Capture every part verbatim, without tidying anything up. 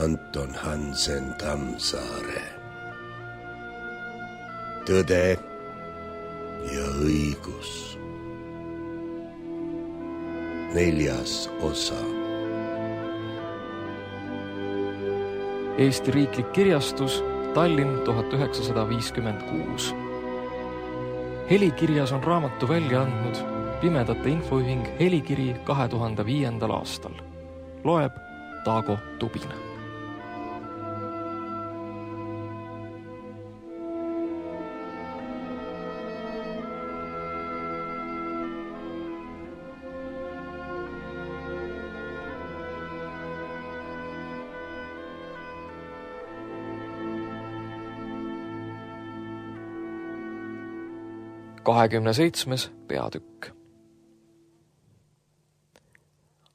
Anton Hansen Tammsaare. Tõde ja õigus. Neljas osa. Eesti Riiklik Kirjastus, Tallinn tuhat üheksasada viiskümmend kuus. Helikirjas on raamatu välja andnud Pimedate Infoühing Helikiri kahe tuhande viiendal aastal. Loeb Taago Tubina. kahekümne seitsmes peatükk.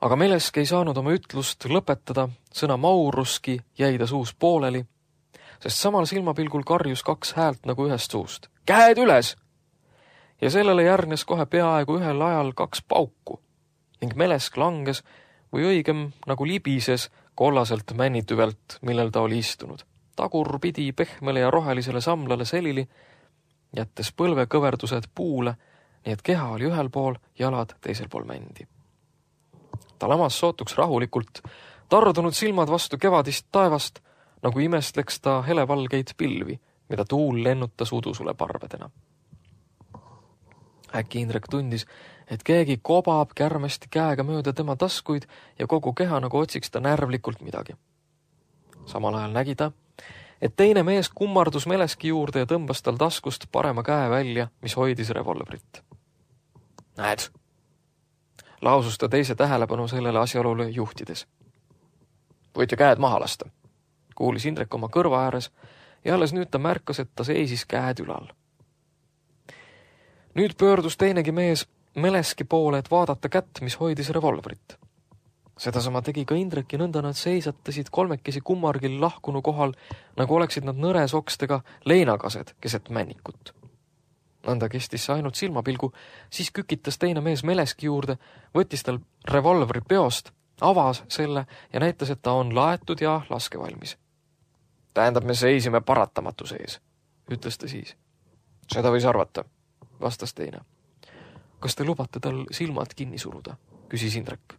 Aga Melesk ei saanud oma ütlust lõpetada, sõna mauruski jäi ta suus pooleli, sest samal silmapilgul karjus kaks häält nagu ühest suust. Käed üles! Ja sellele järgnes kohe peaaegu ühel ajal kaks pauku ning Melesk langes või õigem nagu libises kollaselt männitüvelt, millel ta oli istunud. Tagur pidi pehmele ja rohelisele samlale selili, jättes põlvekõverdused puule, nii et keha oli ühel pool, jalad teisel pool mändi. Ta lamas sootuks rahulikult, tardunud silmad vastu kevadist taevast, nagu imestleks ta helevalgeid pilvi, mida tuul lennutas udusule parvedena. Äkki Indrek tundis, et keegi kobab kärmesti käega mööda tema taskuid ja kogu keha nagu otsiks ta närvlikult midagi. Samal ajal nägi ta, et teine mees kummardus Meleski juurde ja tõmbas tal taskust parema käe välja, mis hoidis revolvrit. Näed, lausus ta teise tähelepanu sellele asjaolule juhtides. Võite käed maha lasta, kuulis Indrek oma kõrva ääres ja alles nüüd ta märkas, et ta seisis käed ülal. Nüüd pöördus teinegi mees Meleski poole, et vaadata kätt, mis hoidis revolvrit. Seda sama tegi ka Indrek ja nõnda nad seisatasid kolmekesi kummargil lahkunu kohal, nagu oleksid nad nõres okstega leinakased keset männikut. Nõnda kestis see ainult silmapilgu, siis kükitas teine mees Meleski juurde, võttis tal revolvri peost, avas selle ja näitas, et ta on laetud ja laskevalmis. Tähendab, me seisime paratamatu sees, ütles ta siis. Seda võis arvata, vastas teine. Kas te lubate tal silmad kinni suruda, küsis Indrek.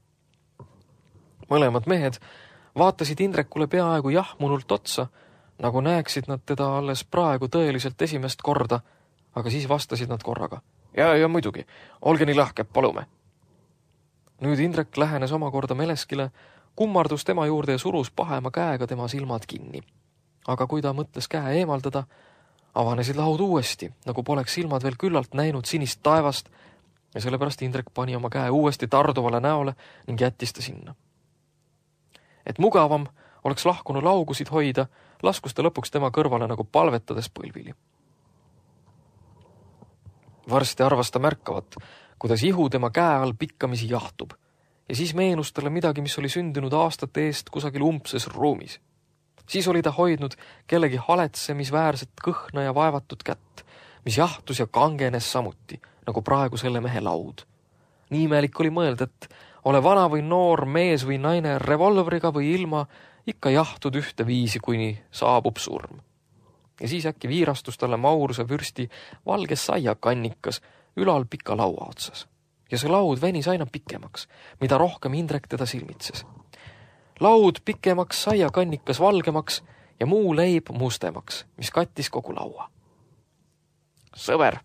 Mõlemad mehed vaatasid Indrekule peaaegu jahmunult otsa, nagu näeksid nad teda alles praegu tõeliselt esimest korda, aga siis vastasid nad korraga. Ja, ja muidugi, olge nii lahke, palume. Nüüd Indrek lähenes omakorda Meleskile, kummardus tema juurde ja surus pahema käega tema silmad kinni. Aga kui ta mõtles käe eemaldada, avanesid lahud uuesti, nagu poleks silmad veel küllalt näinud sinist taevast ja sellepärast Indrek pani oma käe uuesti tarduvale näole ning jättis ta sinna. Et mugavam oleks lahkunu laugusid hoida, laskus ta lõpuks tema kõrvale nagu palvetades põlvili. Varsti arvas ta märkavat, kuidas ihu tema käe all pikkamisi jahtub ja siis meenus talle midagi, mis oli sündinud aastate eest kusagil umbses ruumis. Siis oli ta hoidnud kellegi haletsemisväärset kõhna ja vaevatud kätt, mis jahtus ja kangenes samuti, nagu praegu selle mehe laud. Nii imelik oli mõelda, et ole vana või noor, mees või naine, revolvriga või ilma, ikka jahtud ühte viisi, kuni saabub surm. Ja siis äkki viirastus talle mauruse vürsti valge saiakannikas ülal pika laua otsas. Ja see laud venis aina pikemaks, mida rohkem Indrek teda silmitses. Laud pikemaks, saiakannikas valgemaks ja muu leib mustemaks, mis kattis kogu laua. Sõber,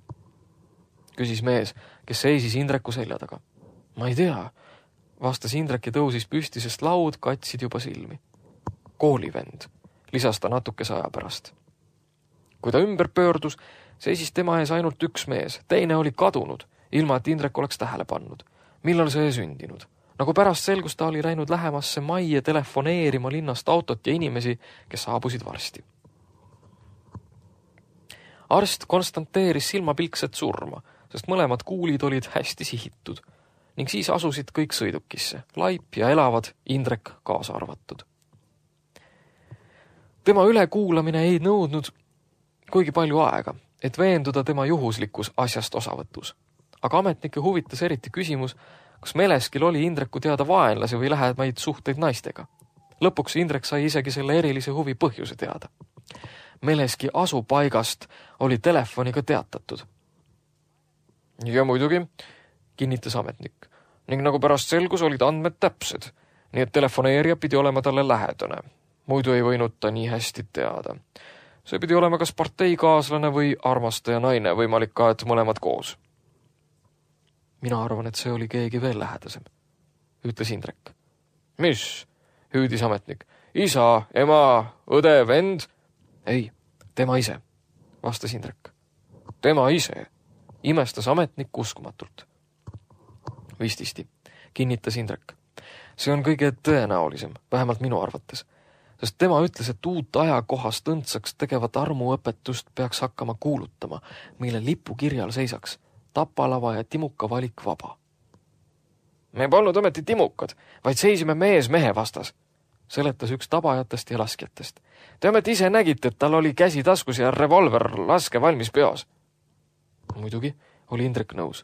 küsis mees, kes seisis Indreku selja taga. Ma ei tea, vastas Indrek ja tõusis püsti, sest laud katsid juba silmi. Koolivend, lisas ta natukese aja pärast. Kui ta ümber pöördus, seisis tema ees ainult üks mees, teine oli kadunud, ilma et Indrek oleks tähele pannud. Millal see sündinud? Nagu pärast selgus ta oli läinud lähemasse majje telefoneerima linnast autot ja inimesi, kes saabusid varsti. Arst konstanteeris silmapilkset surma, sest mõlemad kuulid olid hästi sihitud ning siis asusid kõik sõidukisse, laip ja elavad, Indrek kaasa arvatud. Tema ülekuulamine ei nõudnud kuigi palju aega, et veenduda tema juhuslikus asjast osavõtus. Aga ametnike huvitas eriti küsimus, kas Meleskil oli Indreku teada vaenlasi või lähemaid suhteid naistega. Lõpuks Indrek sai isegi selle erilise huvi põhjuse teada. Meleski asupaigast oli telefoniga teatatud. Ja muidugi, kinnitas ametnik, ning nagu pärast selgus, olid andmed täpsed, nii et telefoneerija pidi olema talle lähedane. Muidu ei võinud ta nii hästi teada. See pidi olema kas parteikaaslane või armastaja naine, võimalik ka, et mõlemad koos. Mina arvan, et see oli keegi veel lähedasem, ütles Indrek. Mis? Hüüdis ametnik. Isa, ema, õde, vend? Ei, tema ise, vastas Indrek. Tema ise, imestas ametnik uskumatult. Vististi, kinnitas Indrek. See on kõige tõenäolisem, vähemalt minu arvates, sest tema ütles, et uut ajakohast õndsaks tegevat armuõpetust peaks hakkama kuulutama, mille lipukirjal seisaks tapalava ja timuka valik vaba. Me polnud ometi timukad, vaid seisime mees mehe vastas, seletas üks tabajatest ja laskjatest. Te ometi ise nägite, et tal oli käsi taskus ja revolver laske valmis peos. Muidugi oli Indrek nõus.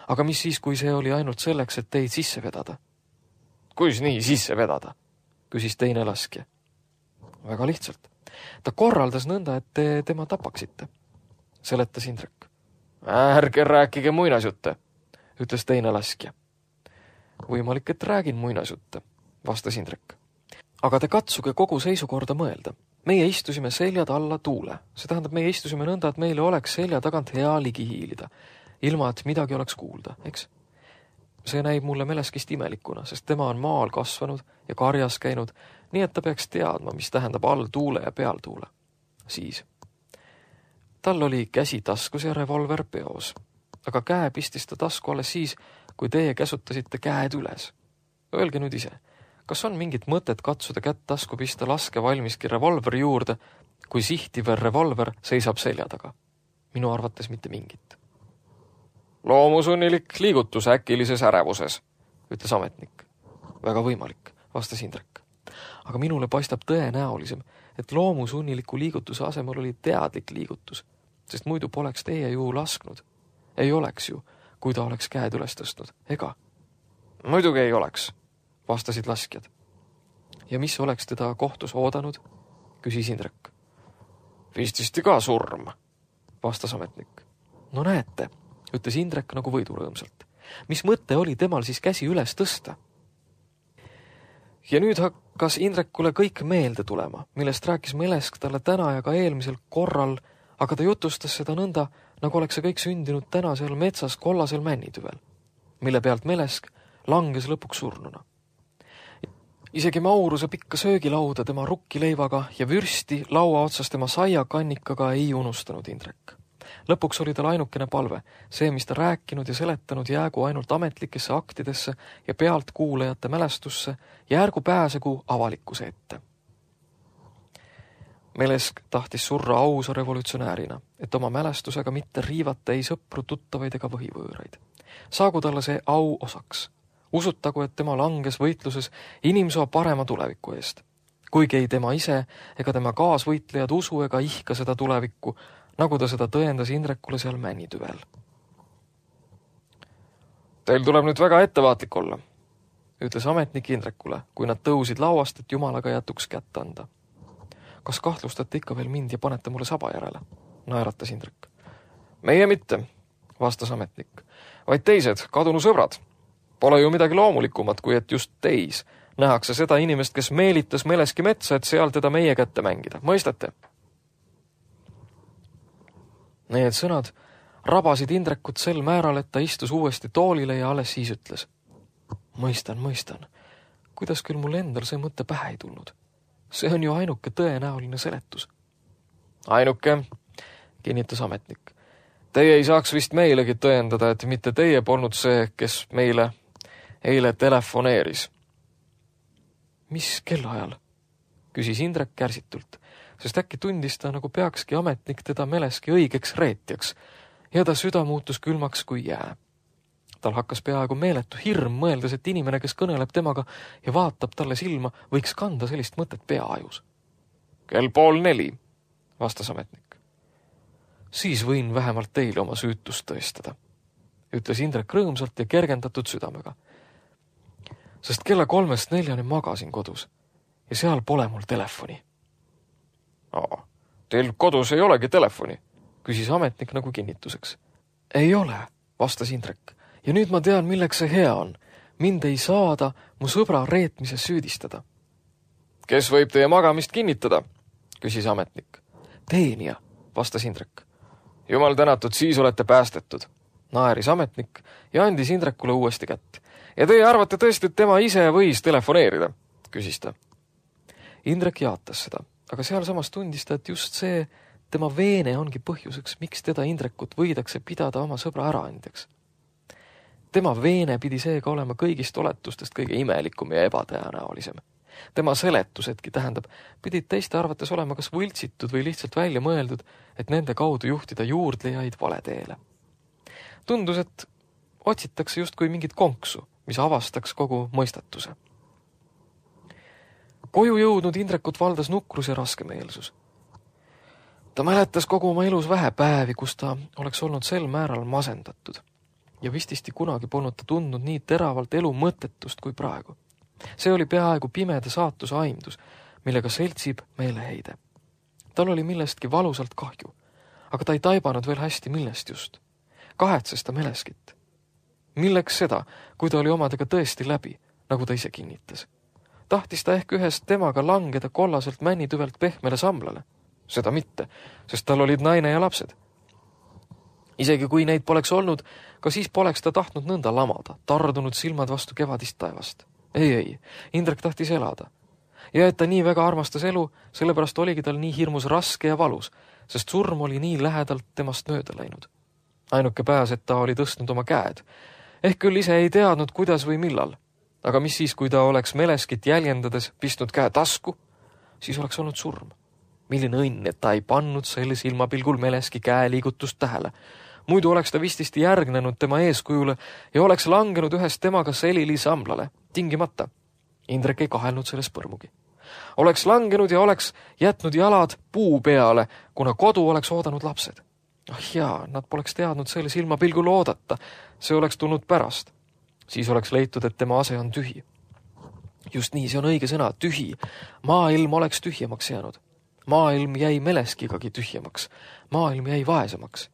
Aga mis siis, kui see oli ainult selleks, et teid sisse vedada? Kuis nii sisse vedada? Küsis teine laskja. Väga lihtsalt. Ta korraldas nõnda, et te tema tapaksite, seletas Indrek. Ärge rääkige muinasjutte, ütles teine laskja. Võimalik, et räägin muinasjutte, vastas Indrek. Aga te katsuge kogu seisukorda mõelda. Meie istusime seljad alla tuule. See tähendab, meie istusime nõnda, et meile oleks selja tagant hea ligi hiilida, ilma et midagi oleks kuulda, eks? See näib mulle Meleskist imelikuna, sest tema on maal kasvanud ja karjas käinud, nii et ta peaks teadma, mis tähendab all tuule ja peal tuule. Siis. Tal oli käsi taskus ja revolver peos, aga käe pistis ta tasku alles siis, kui teie käsutasite käed üles. Öelge nüüd ise, kas on mingit mõtet katsuda kätt tasku pista laske valmiski revolveri juurde, kui sihtiv revolver seisab selja taga? Minu arvates mitte mingit. Loomusunnilik liigutus äkilises ärevuses, ütles ametnik. Väga võimalik, vastas Indrek. Aga minule paistab tõenäolisem, et loomusunniliku liigutuse asemel oli teadlik liigutus, sest muidu poleks teie ju lasknud. Ei oleks ju, kui ta oleks käed üles tõstnud, ega? Muidugi ei oleks, vastasid laskjad. Ja mis oleks teda kohtus oodanud, küsis Indrek. Vististi ka surm, vastas ametnik. No näete, ütles Indrek nagu võidurõõmsalt. Mis mõte oli temal siis käsi üles tõsta? Ja nüüd hakkas Indrekule kõik meelde tulema, millest rääkis Melesk talle täna ja ka eelmisel korral, aga ta jutustas seda nõnda, nagu oleks see kõik sündinud täna seal metsas kollasel männitüvel, mille pealt Melesk langes lõpuks surnuna. Isegi Mauruse pikka söögilauda tema rukkileivaga ja vürsti laua otsas tema saiakannikaga ei unustanud Indrek. Lõpuks oli tal ainukene palve, see, mis ta rääkinud ja seletanud, jäägu ainult ametlikesse aktidesse ja pealt kuulajate mälestusse ja ärgu pääsegu avalikkuse ette. Melesk tahtis surra ausa revolutsionäärina, et oma mälestusega mitte riivata ei sõpru, tuttavaid ega võhivõõraid. Saagu talle see au osaks. Usutagu, et tema langes võitluses inimsoo parema tuleviku eest. Kuigi ei tema ise ega tema kaasvõitlejad usu ega ihka seda tulevikku, nagu ta seda tõendas Indrekule seal männitüvel. Teil tuleb nüüd väga ettevaatlik olla, ütles ametnik Indrekule, kui nad tõusid lauast, et jumalaga jätuks kätt anda. Kas kahtlustate ikka veel mind ja panete mulle saba järele? Naeratas Indrek. Meie mitte, vastas ametnik, vaid teised, kadunu sõbrad. Pole ju midagi loomulikumat, kui et just teis nähakse seda inimest, kes meelitas Meleski metsa, et seal teda meie kätte mängida. Mõistate? Need sõnad rabasid Indrekut sel määral, et ta istus uuesti toolile ja alles siis ütles. Mõistan, mõistan. Kuidas küll mul endal see mõte pähe ei tulnud? See on ju ainuke tõenäoline seletus. Ainuke, kinnitas ametnik. Teie ei saaks vist meilegi tõendada, et mitte teie polnud see, kes meile eile telefoneeris. Mis kellaajal? Küsis Indrek kärsitult, sest äkki tundis ta, nagu peakski ametnik teda Meleski õigeks reetjaks ja ta süda muutus külmaks kui jää. Tal hakkas peaaegu meeletu hirm, mõeldes, et inimene, kes kõneleb temaga ja vaatab talle silma, võiks kanda sellist mõtet peaajus. Kell pool neli, vastas ametnik. Siis võin vähemalt teile oma süütust tõestada, ütles Indrek rõõmsalt ja kergendatud südamega. Sest kella kolmest neljani magasin kodus ja seal pole mul telefoni. Aa, teil kodus ei olegi telefoni, küsis ametnik nagu kinnituseks. Ei ole, vastas Indrek. Ja nüüd ma tean, milleks see hea on. Mind ei saada mu sõbra reetmises süüdistada. Kes võib teie magamist kinnitada? Küsis ametnik. Teenija, vastas Indrek. Jumal tänatud, siis olete päästetud. Naeris ametnik ja andis Indrekule uuesti kätt. Ja teie arvate tõesti, et tema ise võis telefoneerida? Küsis ta. Indrek jaatas seda, aga sealsamas tundis ta, et just see tema veene ongi põhjuseks, miks teda Indrekut võidakse pidada oma sõbra äraandjaks. Tema veene pidi seega olema kõigist oletustest kõige imelikum ja ebatõenäolisem. Tema seletusedki, tähendab, pidid teiste arvates olema kas võltsitud või lihtsalt välja mõeldud, et nende kaudu juhtida juurdlejaid valeteele. Tundus, et otsitakse just kui mingit konksu, mis avastaks kogu mõistatuse. Koju jõudnud Indrekut valdas nukrus ja raskemeelsus. Ta mäletas kogu oma elus vähe päevi, kus ta oleks olnud sel määral masendatud. Ja vististi kunagi polnud ta tundnud nii teravalt elu mõttetust kui praegu. See oli peaaegu pimeda saatuse aimdus, millega seltsib meeleheide. Tal oli millestki valusalt kahju, aga ta ei taibanud veel hästi millest just. Kahetses ta Meleskit. Milleks seda, kui ta oli omadega tõesti läbi, nagu ta ise kinnitas. Tahtis ta ehk ühest temaga langeda kollaselt männitüvelt pehmele samlale. Seda mitte, sest tal olid naine ja lapsed. Isegi kui neid poleks olnud, ka siis poleks ta tahtnud nõnda lamada, tardunud silmad vastu kevadist taevast. Ei, ei, Indrek tahtis elada. Ja et ta nii väga armastas elu, sellepärast oligi tal nii hirmus raske ja valus, sest surm oli nii lähedalt temast mööda läinud. Ainuke pääs, et ta oli tõstnud oma käed. Ehk küll ise ei teadnud, kuidas või millal. Aga mis siis, kui ta oleks Meleskit jäljendades pistnud käe tasku, siis oleks olnud surm. Milline õnn, et ta ei pannud selle silmapilgul Meleski käeliigutust tähele. Muidu oleks ta vististi järgnenud tema eeskujule ja oleks langenud ühest temaga selili samlale. Tingimata. Indrek ei kahelnud selles põrmugi. Oleks langenud ja oleks jätnud jalad puu peale, kuna kodu oleks oodanud lapsed. Ah jaa, nad poleks teadnud selle silmapilgul oodata. See oleks tulnud pärast. Siis oleks leitud, et tema ase on tühi. Just nii, see on õige sõna, tühi. Maailm oleks tühjemaks jäänud. Maailm jäi Meleskigagi tühjemaks. Maailm jäi vaesemaks.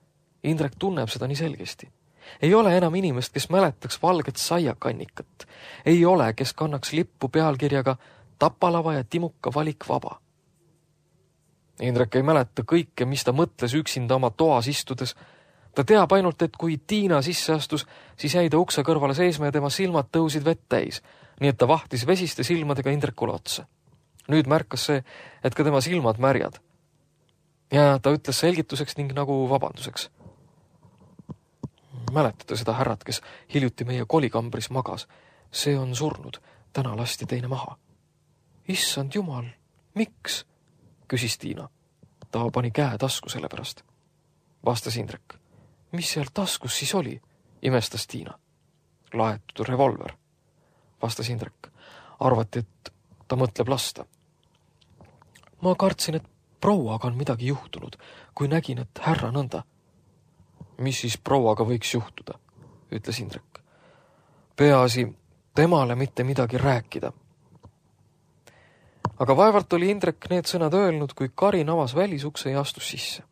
Indrek tunneb seda nii selgesti. Ei ole enam inimest, kes mäletaks valget saiakannikat. Ei ole, kes kannaks lippu pealkirjaga Tapalava ja Timuka valik vaba. Indrek ei mäleta kõike, mis ta mõtles üksinda oma toas istudes. Ta teab ainult, et kui Tiina sisse astus, siis jäi ta ukse kõrvale seisma ja tema silmad tõusid vett täis, nii et ta vahtis vesiste silmadega Indrekule otsa. Nüüd märkas see, et ka tema silmad märjad. Ja ta ütles selgituseks ning nagu vabanduseks. Mäletate seda härrat, kes hiljuti meie kolikambris magas. See on surnud, täna lasti teine maha. Issand jumal, miks? Küsis Tiina. Ta pani käe tasku selle pärast. Vastas Indrek. Mis seal taskus siis oli? Imestas Tiina. Laetud revolver. Vastas Indrek. Arvati, et ta mõtleb lasta. Ma kartsin, et prouaga on midagi juhtunud, kui nägin, et härra nõnda. Mis siis prouaga võiks juhtuda, ütles Indrek. Peaasi temale mitte midagi rääkida. Aga vaevalt oli Indrek need sõnad öelnud, kui Karin avas välisukse ja astus sisse.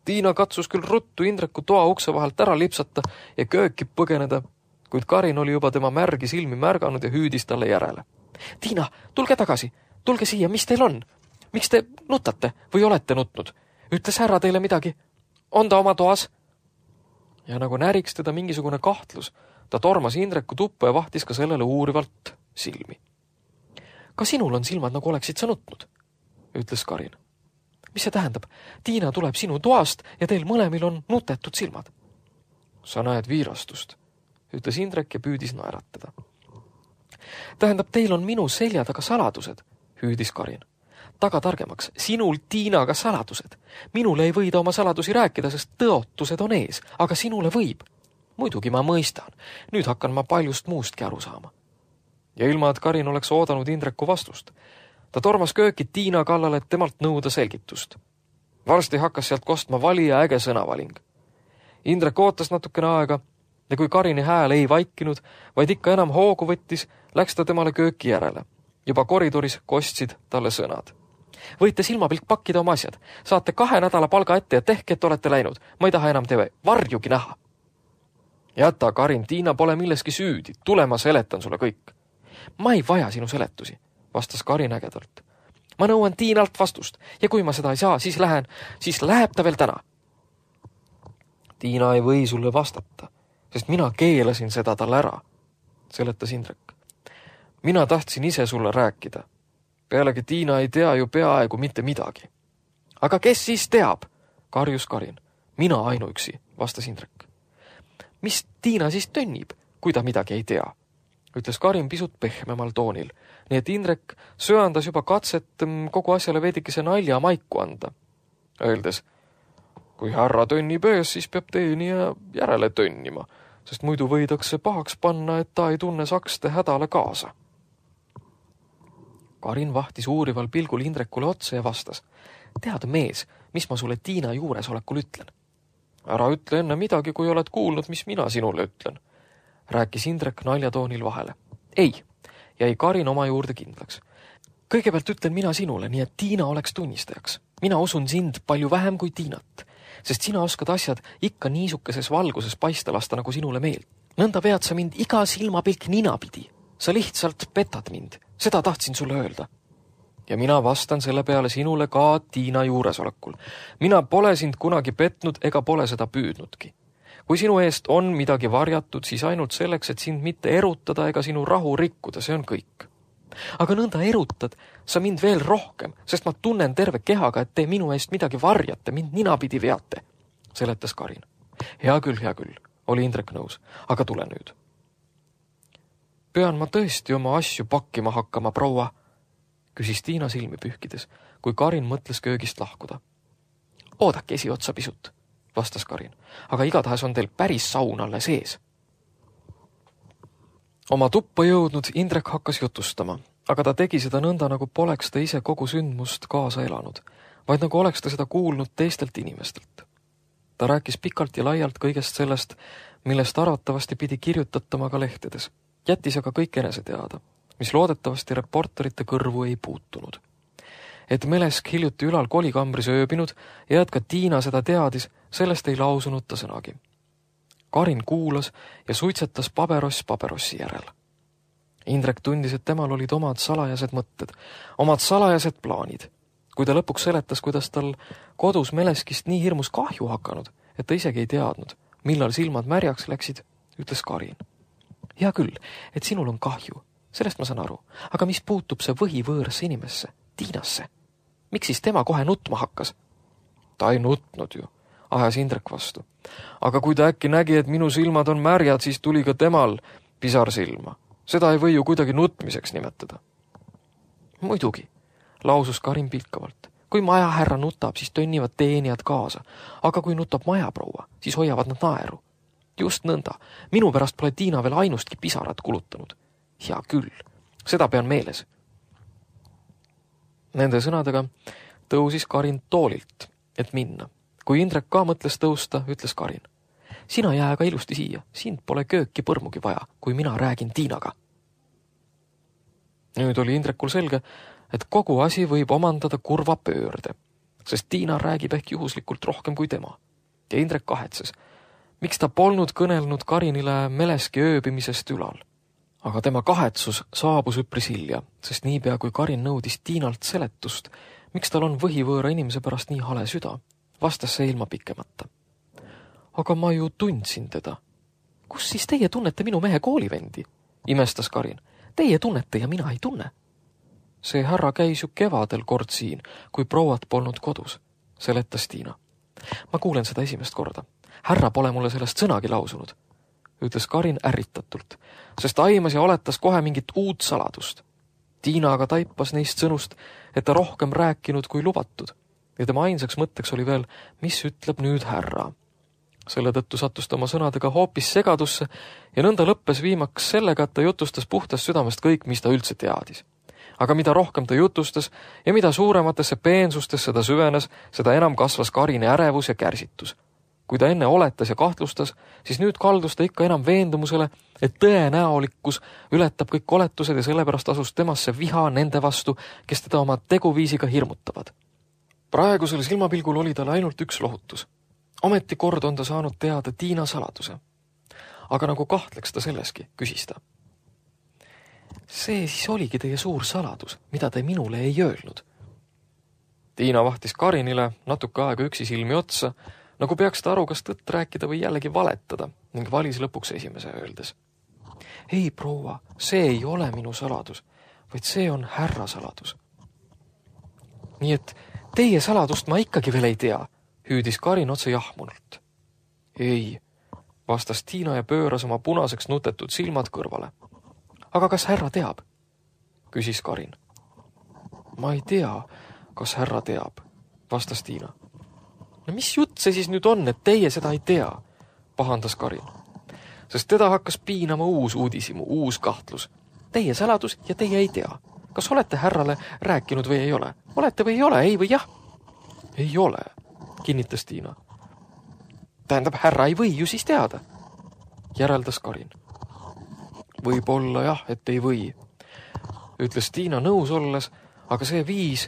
Tiina katsus küll ruttu Indreku toa ukse vahelt ära lipsata ja kööki põgeneda, kuid Karin oli juba tema märgi silmi märganud ja hüüdis talle järele. Tiina, tulge tagasi, tulge siia, mis teil on? Miks te nutate või olete nutnud? Ütles härra teile midagi? On ta oma toas? Ja nagu näriks teda mingisugune kahtlus, ta tormas Indreku tuppa ja vahtis ka sellele uurivalt silmi. Ka sinul on silmad, nagu oleksid sa nutnud, ütles Karin. Mis see tähendab? Tiina tuleb sinu toast ja teil mõlemil on nutetud silmad. Sa näed viirastust, ütles Indrek ja püüdis naeratada. Tähendab, teil on minu selja taga saladused, hüüdis Karin. Taga targemaks, sinul Tiinaga saladused. Minule ei võida oma saladusi rääkida, sest tõotused on ees, aga sinule võib. Muidugi ma mõistan. Nüüd hakkan ma paljust muustki aru saama. Ja ilma, et Karin oleks oodanud Indreku vastust. Ta tormas kööki Tiina kallale, et temalt nõuda selgitust. Varsti hakkas sealt kostma vali ja äge sõnavaling. Indrek ootas natukene aega ja kui Karini hääl ei vaikinud, vaid ikka enam hoogu võttis, läks ta temale kööki järele. Juba koridoris kostsid talle sõnad. Võite silmapilk pakkida oma asjad. Saate kahe nädala palga ette ja tehke, et olete läinud. Ma ei taha enam teie varjugi näha. Jäta, Karin, Tiina pole milleski süüdi. Tule, ma seletan sulle kõik. Ma ei vaja sinu seletusi, vastas Karin ägedalt. Ma nõuan Tiinalt vastust ja kui ma seda ei saa, siis lähen, siis läheb ta veel täna. Tiina ei või sulle vastata, sest mina keelasin seda talle ära, seletas Indrek. Mina tahtsin ise sulle rääkida. Pealegi Tiina ei tea ju peaaegu mitte midagi. Aga kes siis teab? Karjus Karin. Mina ainuüksi, vastas Indrek. Mis Tiina siis tönnib, kui ta midagi ei tea? Ütles Karin pisut pehmemal toonil, nii et Indrek söandas juba katset kogu asjale veidikese nalja maiku anda. Öeldes, kui härra tönnib ees, siis peab teenija järele tönnima, sest muidu võidakse pahaks panna, et ta ei tunne sakste hädale kaasa. Karin vahtis uurival pilgul Indrekule otsa ja vastas. Tead, mees, mis ma sulle Tiina juuresolekul ütlen? Ära ütle enne midagi, kui oled kuulnud, mis mina sinule ütlen. Rääkis Indrek naljatoonil vahele. Ei, jäi Karin oma juurde kindlaks. Kõigepealt ütlen mina sinule, nii et Tiina oleks tunnistajaks. Mina usun sind palju vähem kui Tiinat, sest sina oskad asjad ikka niisukeses valguses paista lasta, nagu sinule meeld. Nõnda vead sa mind iga silmapilk ninapidi. Sa lihtsalt petad mind. Seda tahtsin sulle öelda. Ja mina vastan selle peale sinule ka Tiina juuresolekul. Mina pole sind kunagi petnud ega pole seda püüdnudki. Kui sinu eest on midagi varjatud, siis ainult selleks, et sind mitte erutada ega sinu rahu rikkuda, see on kõik. Aga nõnda erutad sa mind veel rohkem, sest ma tunnen terve kehaga, et te minu eest midagi varjate, mind ninapidi veate, seletas Karin. Hea küll, hea küll, oli Indrek nõus, aga tule nüüd. Pean ma tõesti oma asju pakkima hakkama, proua, küsis Tiina silmi pühkides, kui Karin mõtles köögist lahkuda. Oodake esiotsa pisut, vastas Karin, aga igatahes on teil päris saun alle sees. Oma tuppa jõudnud Indrek hakkas jutustama, aga ta tegi seda nõnda, nagu poleks ta ise kogu sündmust kaasa elanud, vaid nagu oleks ta seda kuulnud teistelt inimestelt. Ta rääkis pikalt ja laialt kõigest sellest, millest arvatavasti pidi kirjutatama ka lehtedes. Jättis aga kõik enese teada, mis loodetavasti reporterite kõrvu ei puutunud. Et Melesk hiljuti ülal kolikambris ööbinud ja et ka Tiina seda teadis, sellest ei lausunud ta sõnagi. Karin kuulas ja suitsetas pabeross paberossi järel. Indrek tundis, et temal olid omad salajased mõtted, omad salajased plaanid. Kui ta lõpuks seletas, kuidas tal kodus Meleskist nii hirmus kahju hakanud, et ta isegi ei teadnud, millal silmad märjaks läksid, ütles Karin. Hea küll, et sinul on kahju, sellest ma saan aru, aga mis puutub see võhivõõrasse inimesse, Tiinasse? Miks siis tema kohe nutma hakkas? Ta ei nutnud ju, ajas Indrek vastu. Aga kui ta äkki nägi, et minu silmad on märjad, siis tuli ka temal pisar silma. Seda ei või ju kuidagi nutmiseks nimetada. Muidugi, lausus Karin pilkavalt. Kui majahärra nutab, siis tönnivad teenijad kaasa, aga kui nutab majaproua, siis hoiavad nad naeru. Just nõnda. Minu pärast pole Tiina veel ainustki pisarat kulutanud. Hea küll, seda pean meeles. Nende sõnadega tõusis Karin toolilt, et minna. Kui Indrek ka mõtles tõusta, ütles Karin. Sina jää aga ilusti siia, sind pole kööki põrmugi vaja, kui mina räägin Tiinaga. Nüüd oli Indrekul selge, et kogu asi võib omandada kurva pöörde, sest Tiina räägib ehk juhuslikult rohkem kui tema. Ja Indrek kahetses, miks ta polnud kõnelnud Karinile Meleski ööbimisest ülal. Aga tema kahetsus saabus üpris hilja, sest niipea kui Karin nõudis Tiinalt seletust, miks tal on võhivõõra inimese pärast nii hale süda, vastas see ilma pikemata. Aga ma ju tundsin teda. Kus siis teie tunnete minu mehe koolivendi? Imestas Karin. Teie tunnete ja mina ei tunne. See härra käis ju kevadel kord siin, kui prouad polnud kodus, seletas Tiina. Ma kuulen seda esimest korda. Härra pole mulle sellest sõnagi lausunud, ütles Karin ärritatult, sest aimas ja oletas kohe mingit uut saladust. Tiina aga taipas neist sõnust, et ta rohkem rääkinud kui lubatud, ja tema ainsaks mõtteks oli veel, mis ütleb nüüd härra. Selle tõttu sattus ta oma sõnadega hoopis segadusse ja nõnda lõppes viimaks sellega, et ta jutustas puhtast südamest kõik, mis ta üldse teadis. Aga mida rohkem ta jutustas ja mida suurematesse peensustesse ta süvenes, seda enam kasvas Karini ärevus ja kärsitus. kui ta enne oletas ja kahtlustas, siis nüüd kaldus ta ikka enam veendumusele, et tõenäolikkus ületab kõik oletused ja sellepärast asus temasse viha nende vastu, kes teda oma teguviisiga hirmutavad. Praegusel silmapilgul oli tal ainult üks lohutus. Ometi kord on ta saanud teada Tiina saladuse. Aga nagu kahtleks ta selleski, küsis ta. See siis oligi teie suur saladus, mida te minule ei öelnud. Tiina vahtis Karinile natuke aega üksi silmi otsa, nagu peaks ta aru, kas tõtt rääkida või jällegi valetada, ning valis lõpuks esimese öeldes. Ei, proua, see ei ole minu saladus, vaid see on härra saladus. Nii et teie saladust ma ikkagi veel ei tea, hüüdis Karin otse jahmunult. Ei, vastas Tiina ja pööras oma punaseks nutetud silmad kõrvale. Aga kas härra teab? Küsis Karin. Ma ei tea, kas härra teab, vastas Tiina. No mis jutt see siis nüüd on, et teie seda ei tea, pahandas Karin. Sest teda hakkas piinama uus uudisimu, uus kahtlus. Teie saladus ja teie ei tea. Kas olete härrale rääkinud või ei ole? Olete või ei ole, ei või jah? Ei ole, kinnitas Tiina. Tähendab, härra ei või ju siis teada, järeldas Karin. Võib-olla jah, et ei või, ütles Tiina nõus olles, aga see viis,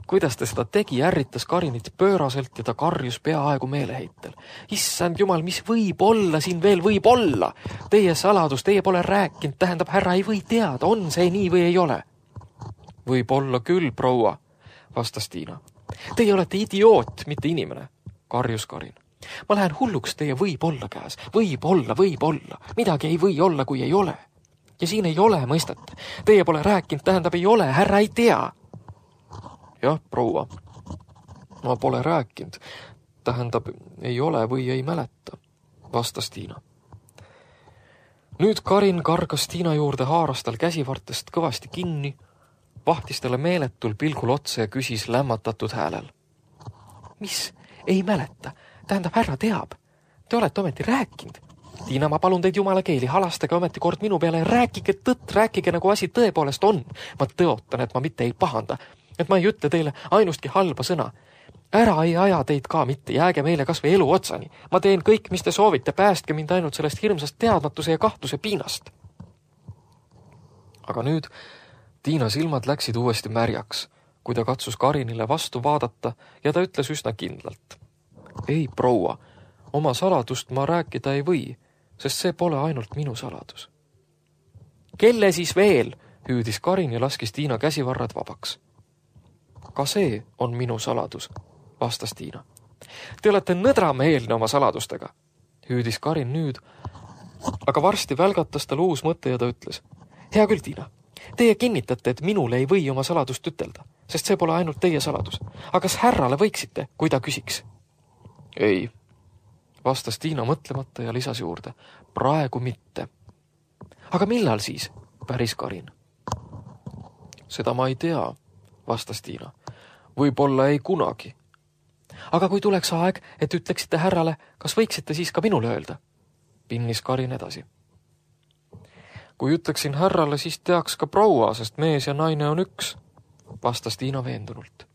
kuidas ta seda tegi, ärritas Karinit pööraselt ja ta karjus peaaegu meeleheitel. Issand jumal, mis võib olla siin veel võib olla? Teie saladus, teie pole rääkinud, tähendab, härra ei või teada, on see nii või ei ole? Võib olla küll, proua, vastas Tiina. Teie olete idioot, mitte inimene, karjus Karin. Ma lähen hulluks teie võib olla käes, võib olla, võib olla, midagi ei või olla, kui ei ole. Ja siin ei ole mõistet. Teie pole rääkinud, tähendab ei ole, härra ei tea. Jah, proua, ma pole rääkinud, tähendab ei ole või ei mäleta, vastas Tiina. Nüüd Karin kargas Tiina juurde, haaras tal käsivartest kõvasti kinni, vahtis talle meeletul pilgul otse ja küsis lämmatatud häälel. Mis? Ei mäleta? Tähendab, härra teab. Te olete ometi rääkinud. Tiina, ma palun teid jumala keeli, halastage ometi kord minu peale, rääkige tõtt, rääkige nagu asi tõepoolest on. Ma tõotan, et ma mitte ei pahanda, et ma ei ütle teile ainustki halba sõna. Ära ei aja teid ka mitte, jääge meile kas või elu otsani. Ma teen kõik, mis te soovite, päästke mind ainult sellest hirmsast teadmatuse ja kahtluse piinast. Aga nüüd Tiina silmad läksid uuesti märjaks, kui ta katsus Karinile vastu vaadata ja ta ütles üsna kindlalt. Ei, proua, oma saladust ma rääkida ei või, sest see pole ainult minu saladus. Kelle siis veel? Hüüdis Karin ja laskis Tiina käsivarrad vabaks. Ka see on minu saladus, vastas Tiina. Te olete nõdrameelne oma saladustega, hüüdis Karin nüüd, aga varsti välgatas tal uus mõte ja ta ütles. Hea küll, Tiina, teie kinnitate, et minule ei või oma saladust ütelda, sest see pole ainult teie saladus. Aga kas härrale võiksite, kui ta küsiks? Ei, vastas Tiina mõtlemata ja lisas juurde. Praegu mitte. Aga millal siis? Päris Karin. Seda ma ei tea, vastas Tiina. Võib-olla ei kunagi. Aga kui tuleks aeg, et ütleksite härrale, kas võiksite siis ka minule öelda? Pinnis Karin edasi. Kui ütleksin härrale, siis teaks ka proua, sest mees ja naine on üks, vastas Tiina veendunult.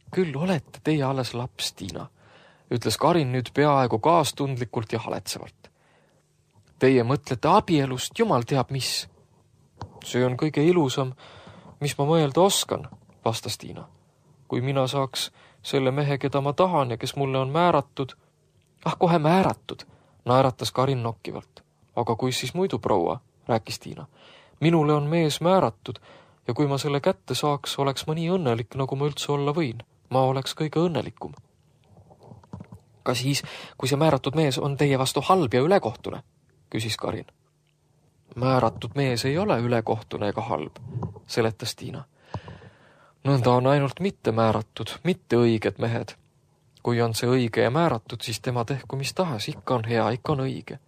Küll olete teie alles laps, Tiina, ütles Karin nüüd peaaegu kaastundlikult ja haletsevalt. Teie mõtlete abielust, jumal teab mis. See on kõige ilusam, mis ma mõelda oskan, vastas Tiina. Kui mina saaks selle mehe, keda ma tahan ja kes mulle on määratud, ah kohe määratud, naeratas Karin nokkivalt. Aga kui siis muidu, proua, rääkis Tiina. Minule on mees määratud ja kui ma selle kätte saaks, oleks ma nii õnnelik, nagu ma üldse olla võin. Ma oleks kõige õnnelikum. Ka siis, kui see määratud mees on teie vastu halb ja ülekohtune, küsis Karin. Määratud mees ei ole ülekohtune ega halb, seletas Tiina. Nõnda on ainult mitte määratud, mitte õiged mehed. Kui on see õige ja määratud, siis tema tehku mis tahes, ikka on hea, ikka on õige.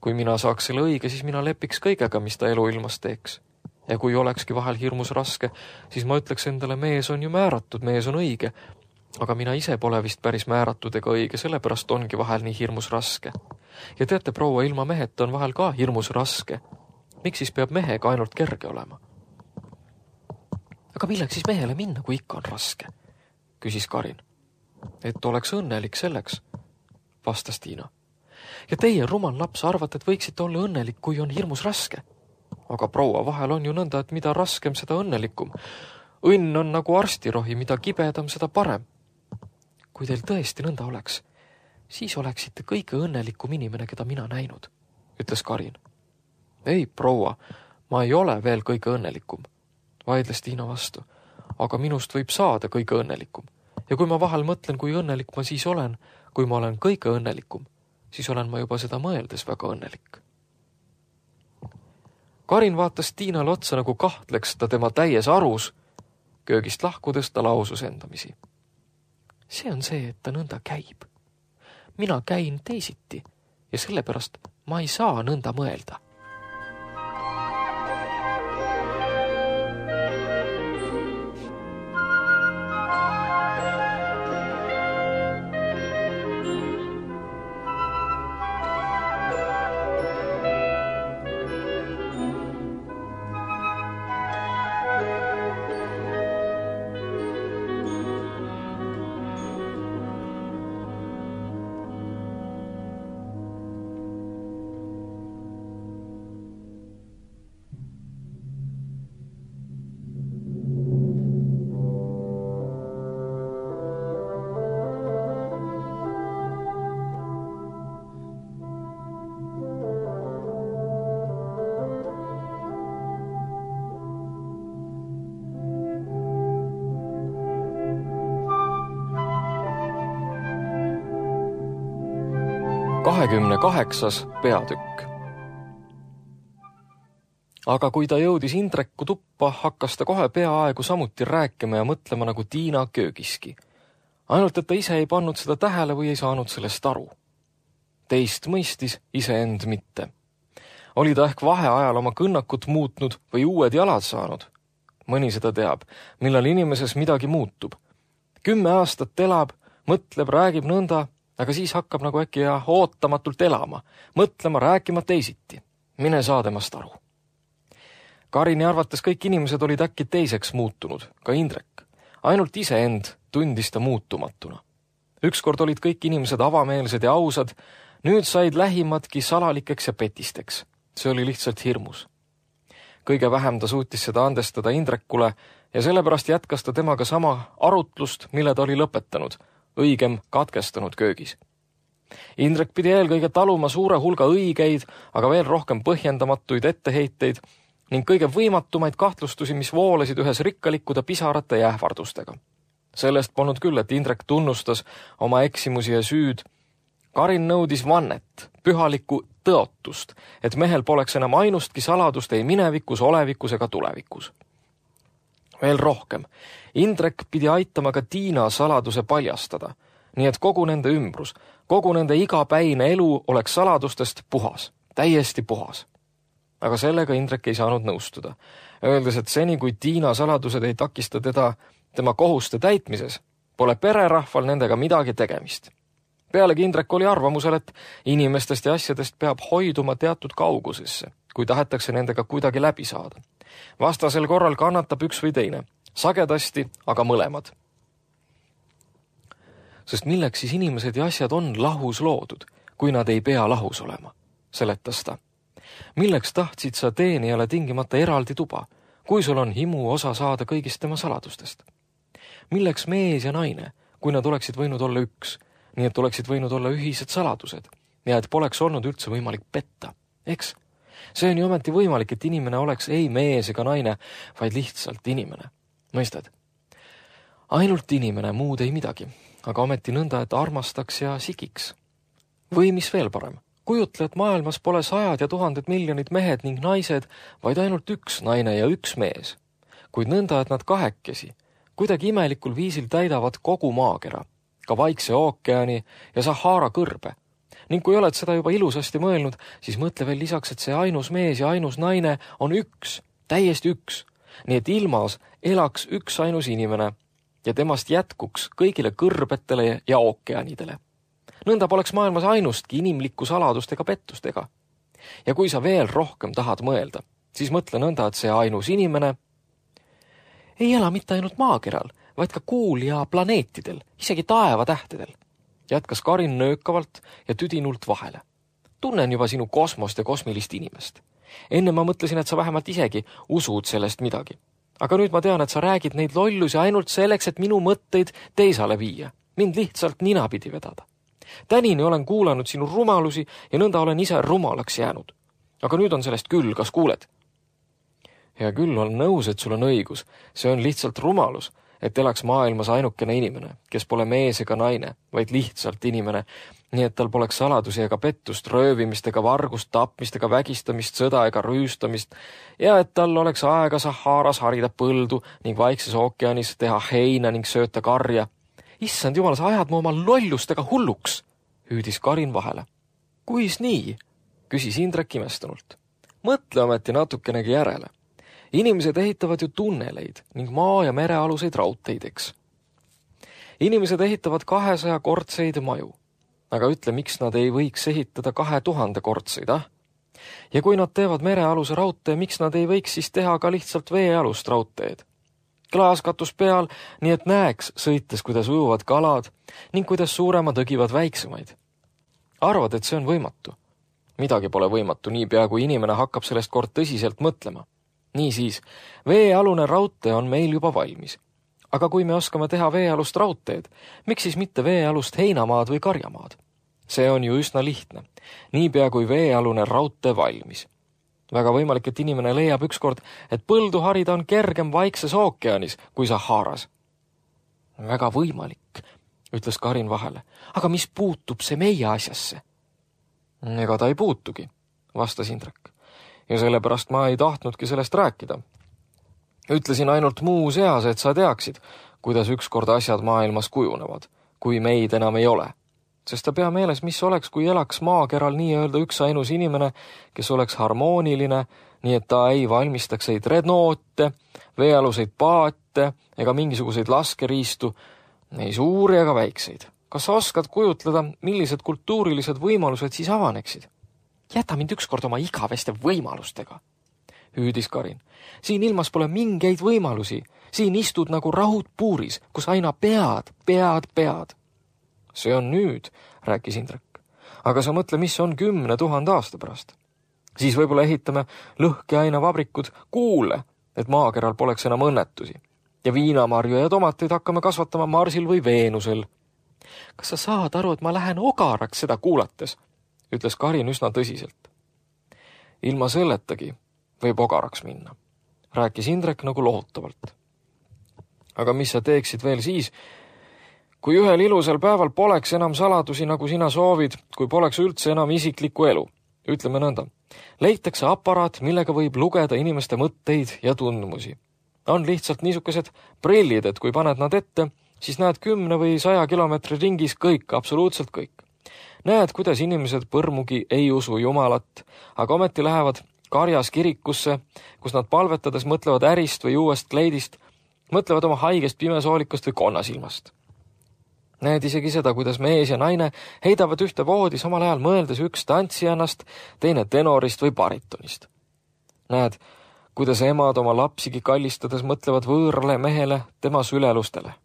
Kui mina saaks selle õige, siis mina lepiks kõigega, mis ta elu ilmas teeks. Ja kui olekski vahel hirmus raske, siis ma ütleks endale, mees on ju määratud, mees on õige. Aga mina ise pole vist päris määratud ega õige, sellepärast ongi vahel nii hirmus raske. Ja teate, proua, ilma meheta on vahel ka hirmus raske. Miks siis peab mehega ainult kerge olema? Aga milleks siis mehele minna, kui ikka on raske? Küsis Karin. Et oleks õnnelik selleks, vastas Tiina. Ja teie, rumal laps, arvate, et võiksite olla õnnelik, kui on hirmus raske. Aga proua, vahel on ju nõnda, et mida raskem, seda õnnelikum. Õnn on nagu arstirohi, mida kibedam, seda parem. Kui teil tõesti nõnda oleks, siis oleksite kõige õnnelikum inimene, keda mina näinud, ütles Karin. Ei, proua, ma ei ole veel kõige õnnelikum, vaidles Tiina vastu, aga minust võib saada kõige õnnelikum. Ja kui ma vahel mõtlen, kui õnnelik ma siis olen, kui ma olen kõige õnnelikum, siis olen ma juba seda mõeldes väga õnnelik. Karin vaatas Tiinale otsa, nagu kahtleks ta tema täies arus. Köögist lahkudes ta lausus endamisi. See on see, et ta nõnda käib. Mina käin teisiti ja sellepärast ma ei saa nõnda mõelda. kahekümne kaheksas peatükk. Aga kui ta jõudis Indreku tuppa, hakkas ta kohe peaaegu samuti rääkima ja mõtlema nagu Tiina köögiski. Ainult, et ta ise ei pannud seda tähele või ei saanud sellest aru. Teist mõistis, iseend mitte. Oli ta ehk vaheajal oma kõnnakut muutnud või uued jalad saanud? Mõni seda teab, millal inimeses midagi muutub. Kümme aastat elab, mõtleb, räägib nõnda, aga siis hakkab nagu äkki ja ootamatult elama, mõtlema, rääkima teisiti. Mine saa temast aru. Karini arvates kõik inimesed olid äkki teiseks muutunud, ka Indrek. Ainult iseend tundis ta muutumatuna. Ükskord olid kõik inimesed avameelsed ja ausad, nüüd said lähimadki salalikeks ja petisteks. See oli lihtsalt hirmus. Kõige vähem ta suutis seda andestada Indrekule ja sellepärast jätkas ta temaga sama arutlust, mille ta oli lõpetanud, õigem katkestanud köögis. Indrek pidi eelkõige taluma suure hulga õigeid, aga veel rohkem põhjendamatuid etteheiteid ning kõige võimatumaid kahtlustusi, mis voolasid ühes rikkalikkude pisarate ja ähvardustega. Sellest polnud küll, et Indrek tunnustas oma eksimusi ja süüd. Karin nõudis vannet, pühalikku tõotust, et mehel poleks enam ainustki saladust ei minevikus, olevikus ega tulevikus. Veel rohkem. Indrek pidi aitama ka Tiina saladuse paljastada, nii et kogu nende ümbrus, kogu nende igapäine elu oleks saladustest puhas, täiesti puhas. Aga sellega Indrek ei saanud nõustuda, öeldes, et seni kui Tiina saladused ei takista teda tema kohuste täitmises, pole pererahval nendega midagi tegemist. Pealegi Indrek oli arvamusel, et inimestest ja asjadest peab hoiduma teatud kaugusesse, kui tahetakse nendega kuidagi läbi saada. Vastasel korral kannatab üks või teine, sagedasti, aga mõlemad. Sest milleks siis inimesed ja asjad on lahus loodud, kui nad ei pea lahus olema, seletas ta. Milleks tahtsid sa teenijale tingimata eraldi tuba, kui sul on himu osa saada kõigist tema saladustest? Milleks mees ja naine, kui nad oleksid võinud olla üks, nii et oleksid võinud olla ühised saladused ja et poleks olnud üldse võimalik petta, eks? See on ju ometi võimalik, et inimene oleks ei mees ega naine, vaid lihtsalt inimene. Mõistad? Ainult inimene, muud ei midagi, aga ometi nõnda, et armastaks ja sikiks. Või mis veel parem? Kujutle, et maailmas pole sajad ja tuhanded miljonid mehed ning naised, vaid ainult üks naine ja üks mees. Kuid nõnda, et nad kahekesi, kuidagi imelikul viisil täidavad kogu maakera, ka Vaikse ookeani ja Sahara kõrbe. Ning kui oled seda juba ilusasti mõelnud, siis mõtle veel lisaks, et see ainus mees ja ainus naine on üks, täiesti üks. Nii et ilmas elaks üks ainus inimene ja temast jätkuks kõigile kõrbetele ja ookeanidele. Nõnda poleks maailmas ainustki inimlikku saladust ega pettust ega. Ja kui sa veel rohkem tahad mõelda, siis mõtle nõnda, et see ainus inimene ei ela mitte ainult maakeral, vaid ka kuul ja planeetidel, isegi taevatähtedel. jätkas Karin nöökavalt ja tüdinult vahele. Tunnen juba sinu kosmost ja kosmilist inimest. Enne ma mõtlesin, et sa vähemalt isegi usud sellest midagi. Aga nüüd ma tean, et sa räägid neid lollusi ainult selleks, et minu mõtteid teisale viia. Mind lihtsalt ninapidi vedada. Tänini olen kuulanud sinu rumalusi ja nõnda olen ise rumalaks jäänud. Aga nüüd on sellest küll, kas kuuled? Ja küll on nõus, et sul on õigus. See on lihtsalt rumalus, et elaks maailmas ainukene inimene, kes pole mees ega naine, vaid lihtsalt inimene, nii et tal poleks saladusi ega pettust, röövimist ega vargust, tapmist ega vägistamist, sõda ega rüüstamist ja et tal oleks aega Saharas harida põldu ning Vaikses ookeanis teha heina ning sööta karja. Issand jumal, sa ajad mu oma lollustega hulluks, hüüdis Karin vahele. Kuis nii? Küsis Indrek imestunult. Mõtle ometi natukenegi järele. Inimesed ehitavad ju tunneleid ning maa- ja merealuseid raudteideks. Inimesed ehitavad kahesaja kortseid maju. Aga ütle, miks nad ei võiks ehitada kahe tuhande kortseid, ah? Ja kui nad teevad merealuse raudtee, miks nad ei võiks siis teha ka lihtsalt veealust raudteed? Klaaskatus peal, nii et näeks sõites, kuidas ujuvad kalad ning kuidas suuremad õgivad väiksemaid. Arvad, et see on võimatu? Midagi pole võimatu niipea, kui inimene hakkab sellest kord tõsiselt mõtlema. Niisiis, veealune raudtee on meil juba valmis. Aga kui me oskame teha veealust raudteed, miks siis mitte veealust heinamaad või karjamaad? See on ju üsna lihtne. Niipea kui veealune raudtee valmis. Väga võimalik, et inimene leiab ükskord, et põldu harida on kergem Vaikses ookeanis kui Saharas. Väga võimalik, ütles Karin vahele. Aga mis puutub see meie asjasse? Ega ta ei puutugi, vastas Indrek. Ja sellepärast ma ei tahtnudki sellest rääkida. Ütlesin ainult muu seas, et sa teaksid, kuidas ükskord asjad maailmas kujunevad, kui meid enam ei ole. Sest ta pea meeles, mis oleks, kui elaks maakeral nii-öelda üks ainus inimene, kes oleks harmooniline, nii et ta ei valmistaks ei dreadnoote, veealuseid paate ega mingisuguseid laskeriistu, ei suuri ega väikseid. Kas sa oskad kujutleda, millised kultuurilised võimalused siis avaneksid? Jäta mind ükskord oma igaveste võimalustega, hüüdis Karin. Siin ilmas pole mingeid võimalusi. Siin istud nagu rahud puuris, kus aina pead, pead, pead. See on nüüd, rääkis Indrek. Aga sa mõtle, mis on kümne tuhande aasta pärast. Siis võib-olla ehitame lõhkeainavabrikud kuule, et maakeral poleks enam õnnetusi. Ja viinamarju ja tomateid hakkame kasvatama Marsil või Veenusel. Kas sa saad aru, et ma lähen ogaraks seda kuulates? Ütles Karin üsna tõsiselt. Ilma selletagi võib ogaraks minna, rääkis Indrek nagu lohutavalt. Aga mis sa teeksid veel siis, kui ühel ilusal päeval poleks enam saladusi, nagu sina soovid, kui poleks üldse enam isiklikku elu? Ütleme nõnda. Leitakse aparaat, millega võib lugeda inimeste mõtteid ja tundmusi. On lihtsalt niisugused prillid, et kui paned nad ette, siis näed kümne või saja kilomeetri ringis kõik, absoluutselt kõik. Näed, kuidas inimesed põrmugi ei usu Jumalat, aga ometi lähevad karjas kirikusse, kus nad palvetades mõtlevad ärist või uuest kleidist, mõtlevad oma haigest pimesoolikust või konnasilmast. Näed isegi seda, kuidas mees ja naine heidavad ühte voodi samal ajal mõeldes üks tantsijannast, teine tenorist või baritonist. Näed, kuidas emad oma lapsigi kallistades mõtlevad võõrale mehele tema sülelustele.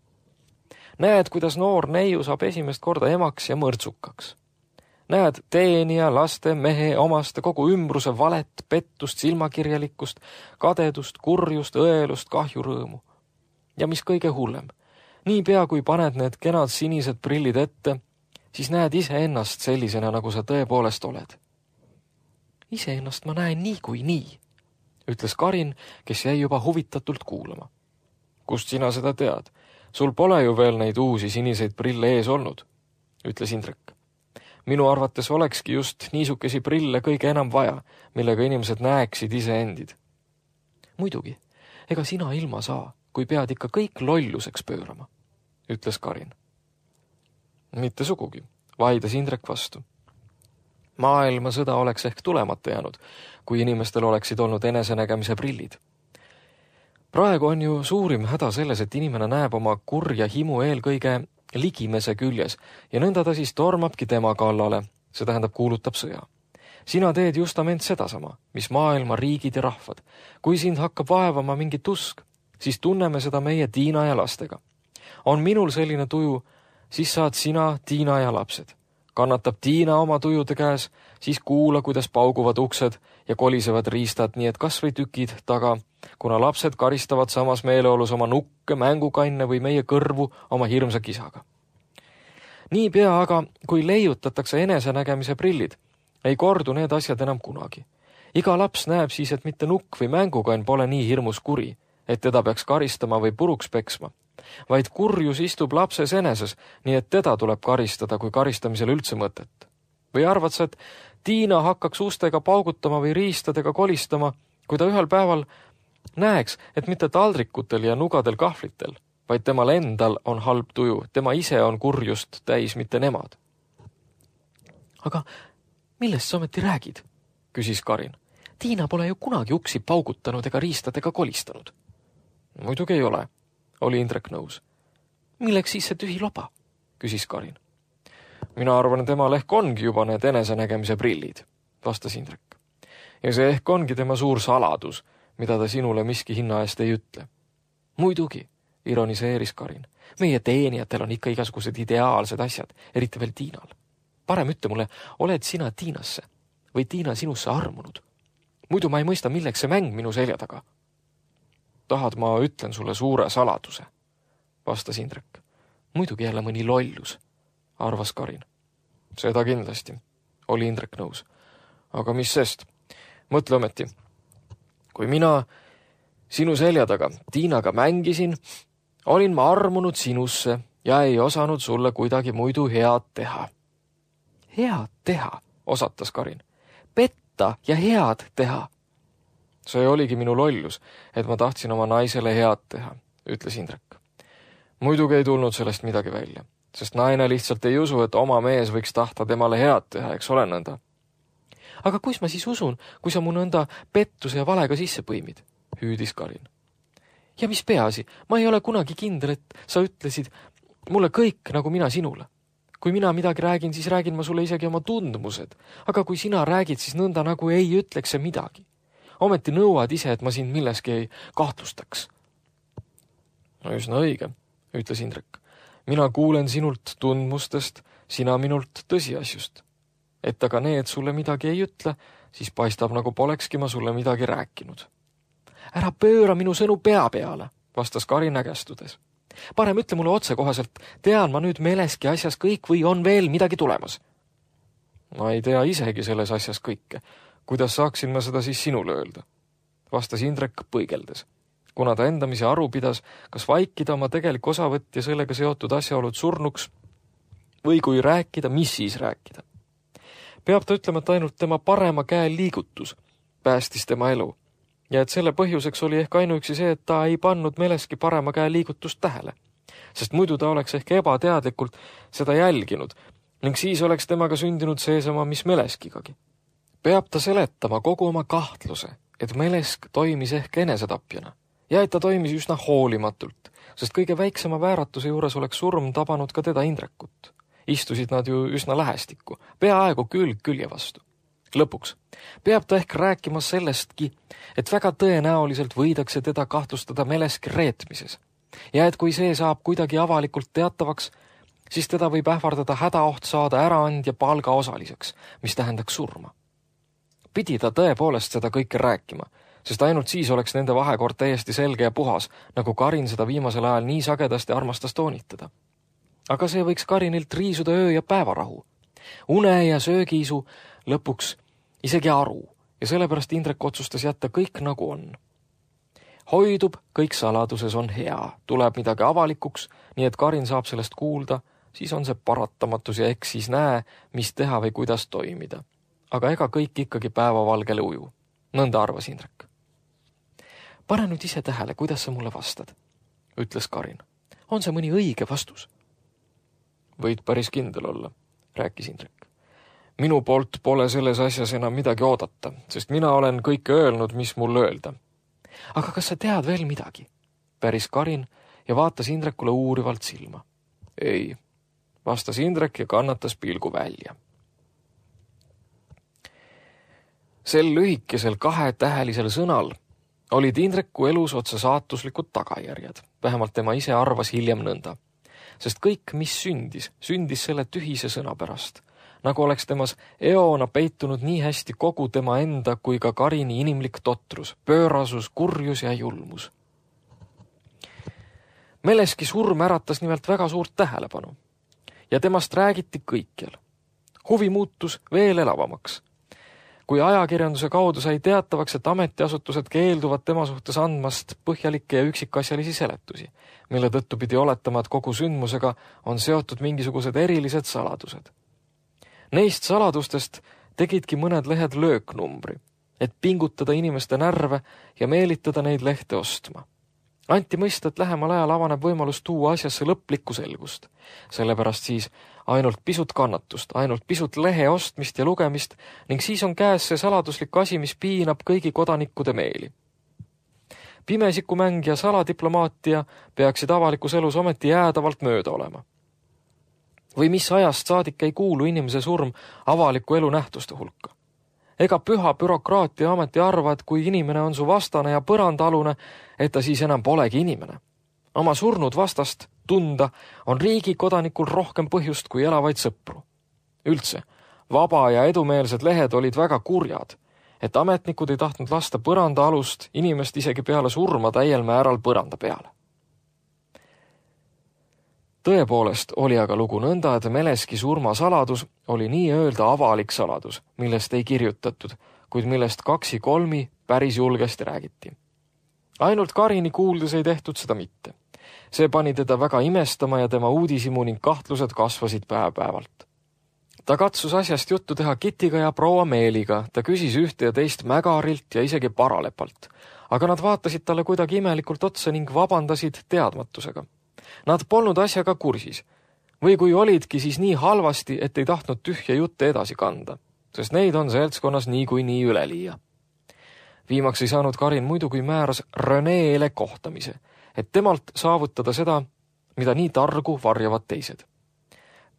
Näed, kuidas noor neiu saab esimest korda emaks ja mõrtsukaks. Näed teenija, laste, mehe, omaste, kogu ümbruse valet, pettust, silmakirjalikkust, kadedust, kurjust, õelust, kahjurõõmu. Ja mis kõige hullem, niipea kui paned need kenad sinised prillid ette, siis näed iseennast sellisena, nagu sa tõepoolest oled. Iseennast ma näen nii kui nii, ütles Karin, kes jäi juba huvitatult kuulama. Kust sina seda tead? Sul pole ju veel neid uusi siniseid prille ees olnud, ütles Indrek. Minu arvates olekski just niisukesi prille kõige enam vaja, millega inimesed näeksid iseendid. Muidugi, ega sina ilma saa, kui pead ikka kõik lolluseks pöörama, ütles Karin. Mitte sugugi, vaidas Indrek vastu. Maailma sõda oleks ehk tulemata jäänud, kui inimestel oleksid olnud enesenägemise prillid. Praegu on ju suurim häda selles, et inimene näeb oma kurja himu eelkõige ligimese küljes ja nõnda ta siis tormabki tema kallale, see tähendab kuulutab sõja. Sina teed justament sedasama, mis maailma riigid ja rahvad. Kui sind hakkab vaevama mingi tusk, siis tunneme seda meie Tiina ja lastega. On minul selline tuju, siis saad sina, Tiina ja lapsed. Kannatab Tiina oma tujude käes, siis kuula, kuidas pauguvad uksed ja kolisevad riistad, nii et kas või tükid taga, kuna lapsed karistavad samas meeleolus oma nukke, mängukanne või meie kõrvu oma hirmsa kisaga. Niipea aga, kui leiutatakse enesenägemise prillid, ei kordu need asjad enam kunagi. Iga laps näeb siis, et mitte nukk või mängukann pole nii hirmus kuri, et teda peaks karistama või puruks peksma, vaid kurjus istub lapses eneses, nii et teda tuleb karistada, kui karistamisel üldse mõtet. Või arvad sa, et Tiina hakkaks ustega paugutama või riistadega kolistama, kui ta ühel päeval näeks, et mitte taldrikutel ja nugadel kahvlitel, vaid temal endal on halb tuju, tema ise on kurjust täis, mitte nemad. Aga millest sa ometi räägid? Küsis Karin. Tiina pole ju kunagi uksi paugutanud ega riistadega kolistanud. Muidugi ei ole, oli Indrek nõus. Milleks siis see tühi loba? Küsis Karin. Mina arvan, temal ehk ongi juba need enesenägemise prillid, vastas Indrek. Ja see ehk ongi tema suur saladus, mida ta sinule miski hinna eest ei ütle. Muidugi, ironiseeris Karin. Meie teenijatel on ikka igasugused ideaalsed asjad, eriti veel Tiinal. Parem ütle mulle, oled sina Tiinasse või Tiina sinusse armunud? Muidu ma ei mõista, milleks see mäng minu selja taga. Tahad, ma ütlen sulle suure saladuse, vastas Indrek. Muidugi jälle mõni lollus, arvas Karin. Seda kindlasti, oli Indrek nõus. Aga mis sest? Mõtle ometi. Kui mina sinu selja taga Tiinaga mängisin, olin ma armunud sinusse ja ei osanud sulle kuidagi muidu head teha. Head teha, osatas Karin. Petta ja head teha. See oligi minu lollus, et ma tahtsin oma naisele head teha, ütles Indrek. Muidugi ei tulnud sellest midagi välja, sest naine lihtsalt ei usu, et oma mees võiks tahta temale head teha, eks ole nõnda. Aga kus ma siis usun, kui sa mu nõnda pettuse ja valega sisse põimid, hüüdis Karin. Ja mis peaasi, ma ei ole kunagi kindel, et sa ütlesid mulle kõik, nagu mina sinule. Kui mina midagi räägin, siis räägin ma sulle isegi oma tundmused, aga kui sina räägid, siis nõnda nagu ei ütleks see midagi. Ometi nõuad ise, et ma sind milleski ei kahtlustaks. No üsna õige, ütles Indrek. Mina kuulen sinult tundmustest, sina minult tõsiasjust. Et aga need sulle midagi ei ütle, siis paistab, nagu polekski ma sulle midagi rääkinud. Ära pööra minu sõnu pea peale, vastas Karin ägestudes. Parem ütle mulle otsekohaselt, tean ma nüüd meleski asjas kõik või on veel midagi tulemas? Ma ei tea isegi selles asjas kõike. Kuidas saaksin ma seda siis sinule öelda? Vastas Indrek põigeldes, kuna ta endamisi aru pidas, kas vaikida oma tegelik osavõtt ja sellega seotud asjaolud surnuks või kui rääkida, mis siis rääkida. Peab ta ütlema, et ainult tema parema käe liigutus päästis tema elu ja et selle põhjuseks oli ehk ainuüksi see, et ta ei pannud meleski parema käe liigutust tähele, sest muidu ta oleks ehk ebateadlikult seda jälginud ning siis oleks temaga sündinud seesama, mis meleskigagi. Peab ta seletama kogu oma kahtluse, et melesk toimis ehk enesetapjana ja et ta toimis üsna hoolimatult, sest kõige väiksema vääratuse juures oleks surm tabanud ka teda Indrekut. Istusid nad ju üsna lähestikku, peaaegu külg külje vastu. Lõpuks peab ta ehk rääkima sellestki, et väga tõenäoliselt võidakse teda kahtlustada meleski reetmises ja et kui see saab kuidagi avalikult teatavaks, siis teda võib ähvardada hädaoht saada äraandja palga osaliseks, mis tähendaks surma. Pidi ta tõepoolest seda kõike rääkima, sest ainult siis oleks nende vahekord täiesti selge ja puhas, nagu Karin seda viimasel ajal nii sagedasti armastas toonitada. Aga see võiks Karinilt riisuda öö ja päevarahu. Une ja söögiisu lõpuks isegi aru ja sellepärast Indrek otsustas jätta kõik nagu on. Hoidub, kõik saladuses on hea, tuleb midagi avalikuks, nii et Karin saab sellest kuulda, siis on see paratamatus ja eks siis näe, mis teha või kuidas toimida. Aga ega kõik ikkagi päevavalgele uju. Nõnda arvas Indrek. Pane nüüd ise tähele, kuidas sa mulle vastad, ütles Karin. On see mõni õige vastus? Võid päris kindel olla, rääkis Indrek. Minu poolt pole selles asjas enam midagi oodata, sest mina olen kõike öelnud, mis mul öelda. Aga kas sa tead veel midagi? Päris Karin ja vaatas Indrekule uurivalt silma. Ei, vastas Indrek ja kannatas pilgu välja. Sel lühikesel kahetähelisel sõnal olid Indreku elus otse saatuslikud tagajärjed. Vähemalt tema ise arvas hiljem nõnda. sest kõik, mis sündis, sündis selle tühise sõna pärast, nagu oleks temas eona peitunud nii hästi kogu tema enda kui ka Karini inimlik totrus, pöörasus, kurjus ja julmus. Meleski surm äratas nimelt väga suurt tähelepanu ja temast räägiti kõikjal. Huvi muutus veel elavamaks. Kui ajakirjanduse kaudu sai teatavaks, et ametiasutused keelduvad tema suhtes andmast põhjalikke ja üksikasjalisi seletusi, mille tõttu pidi oletama, et kogu sündmusega on seotud mingisugused erilised saladused. Neist saladustest tegidki mõned lehed lööknumbri, et pingutada inimeste närve ja meelitada neid lehte ostma. Anti mõista, et lähemal ajal avaneb võimalus tuua asjasse lõplikku selgust. Sellepärast siis ainult pisut kannatust, ainult pisut lehe ostmist ja lugemist ning siis on käes see saladuslik asi, mis piinab kõigi kodanikkude meeli. Pimesikumäng ja saladiplomaatia peaksid avalikus elus ometi jäädavalt mööda olema. Või mis ajast saadik ei kuulu inimese surm avaliku elu nähtuste hulka. Ega püha bürokraatia ameti arva, et kui inimene on su vastane ja põrandalune, et ta siis enam polegi inimene. Oma surnud vastast tunda on riigi kodanikul rohkem põhjust kui elavaid sõpru. Üldse, vaba ja edumeelsed lehed olid väga kurjad, et ametnikud ei tahtnud lasta põranda alust inimest isegi peale surma täiel määral põranda peale. Tõepoolest oli aga lugu nõnda, et Meleski surma saladus oli nii öelda avalik saladus, millest ei kirjutatud, kuid millest kaksi kolmi päris julgesti räägiti. Ainult Karini kuuldes ei tehtud seda mitte. See pani teda väga imestama ja tema uudisimu ning kahtlused kasvasid päev-päevalt. Ta katsus asjast juttu teha Kitiga ja proua Meeliga, ta küsis ühte ja teist Mägarilt ja isegi Paralepalt, aga nad vaatasid talle kuidagi imelikult otsa ning vabandasid teadmatusega. Nad polnud asjaga kursis, või kui olidki, siis nii halvasti, et ei tahtnud tühja jutte edasi kanda, sest neid on seltskonnas nii kui nii üleliia. Viimaks ei saanud Karin muidu kui määras Reneele kohtamise, et temalt saavutada seda, mida nii targu varjavad teised.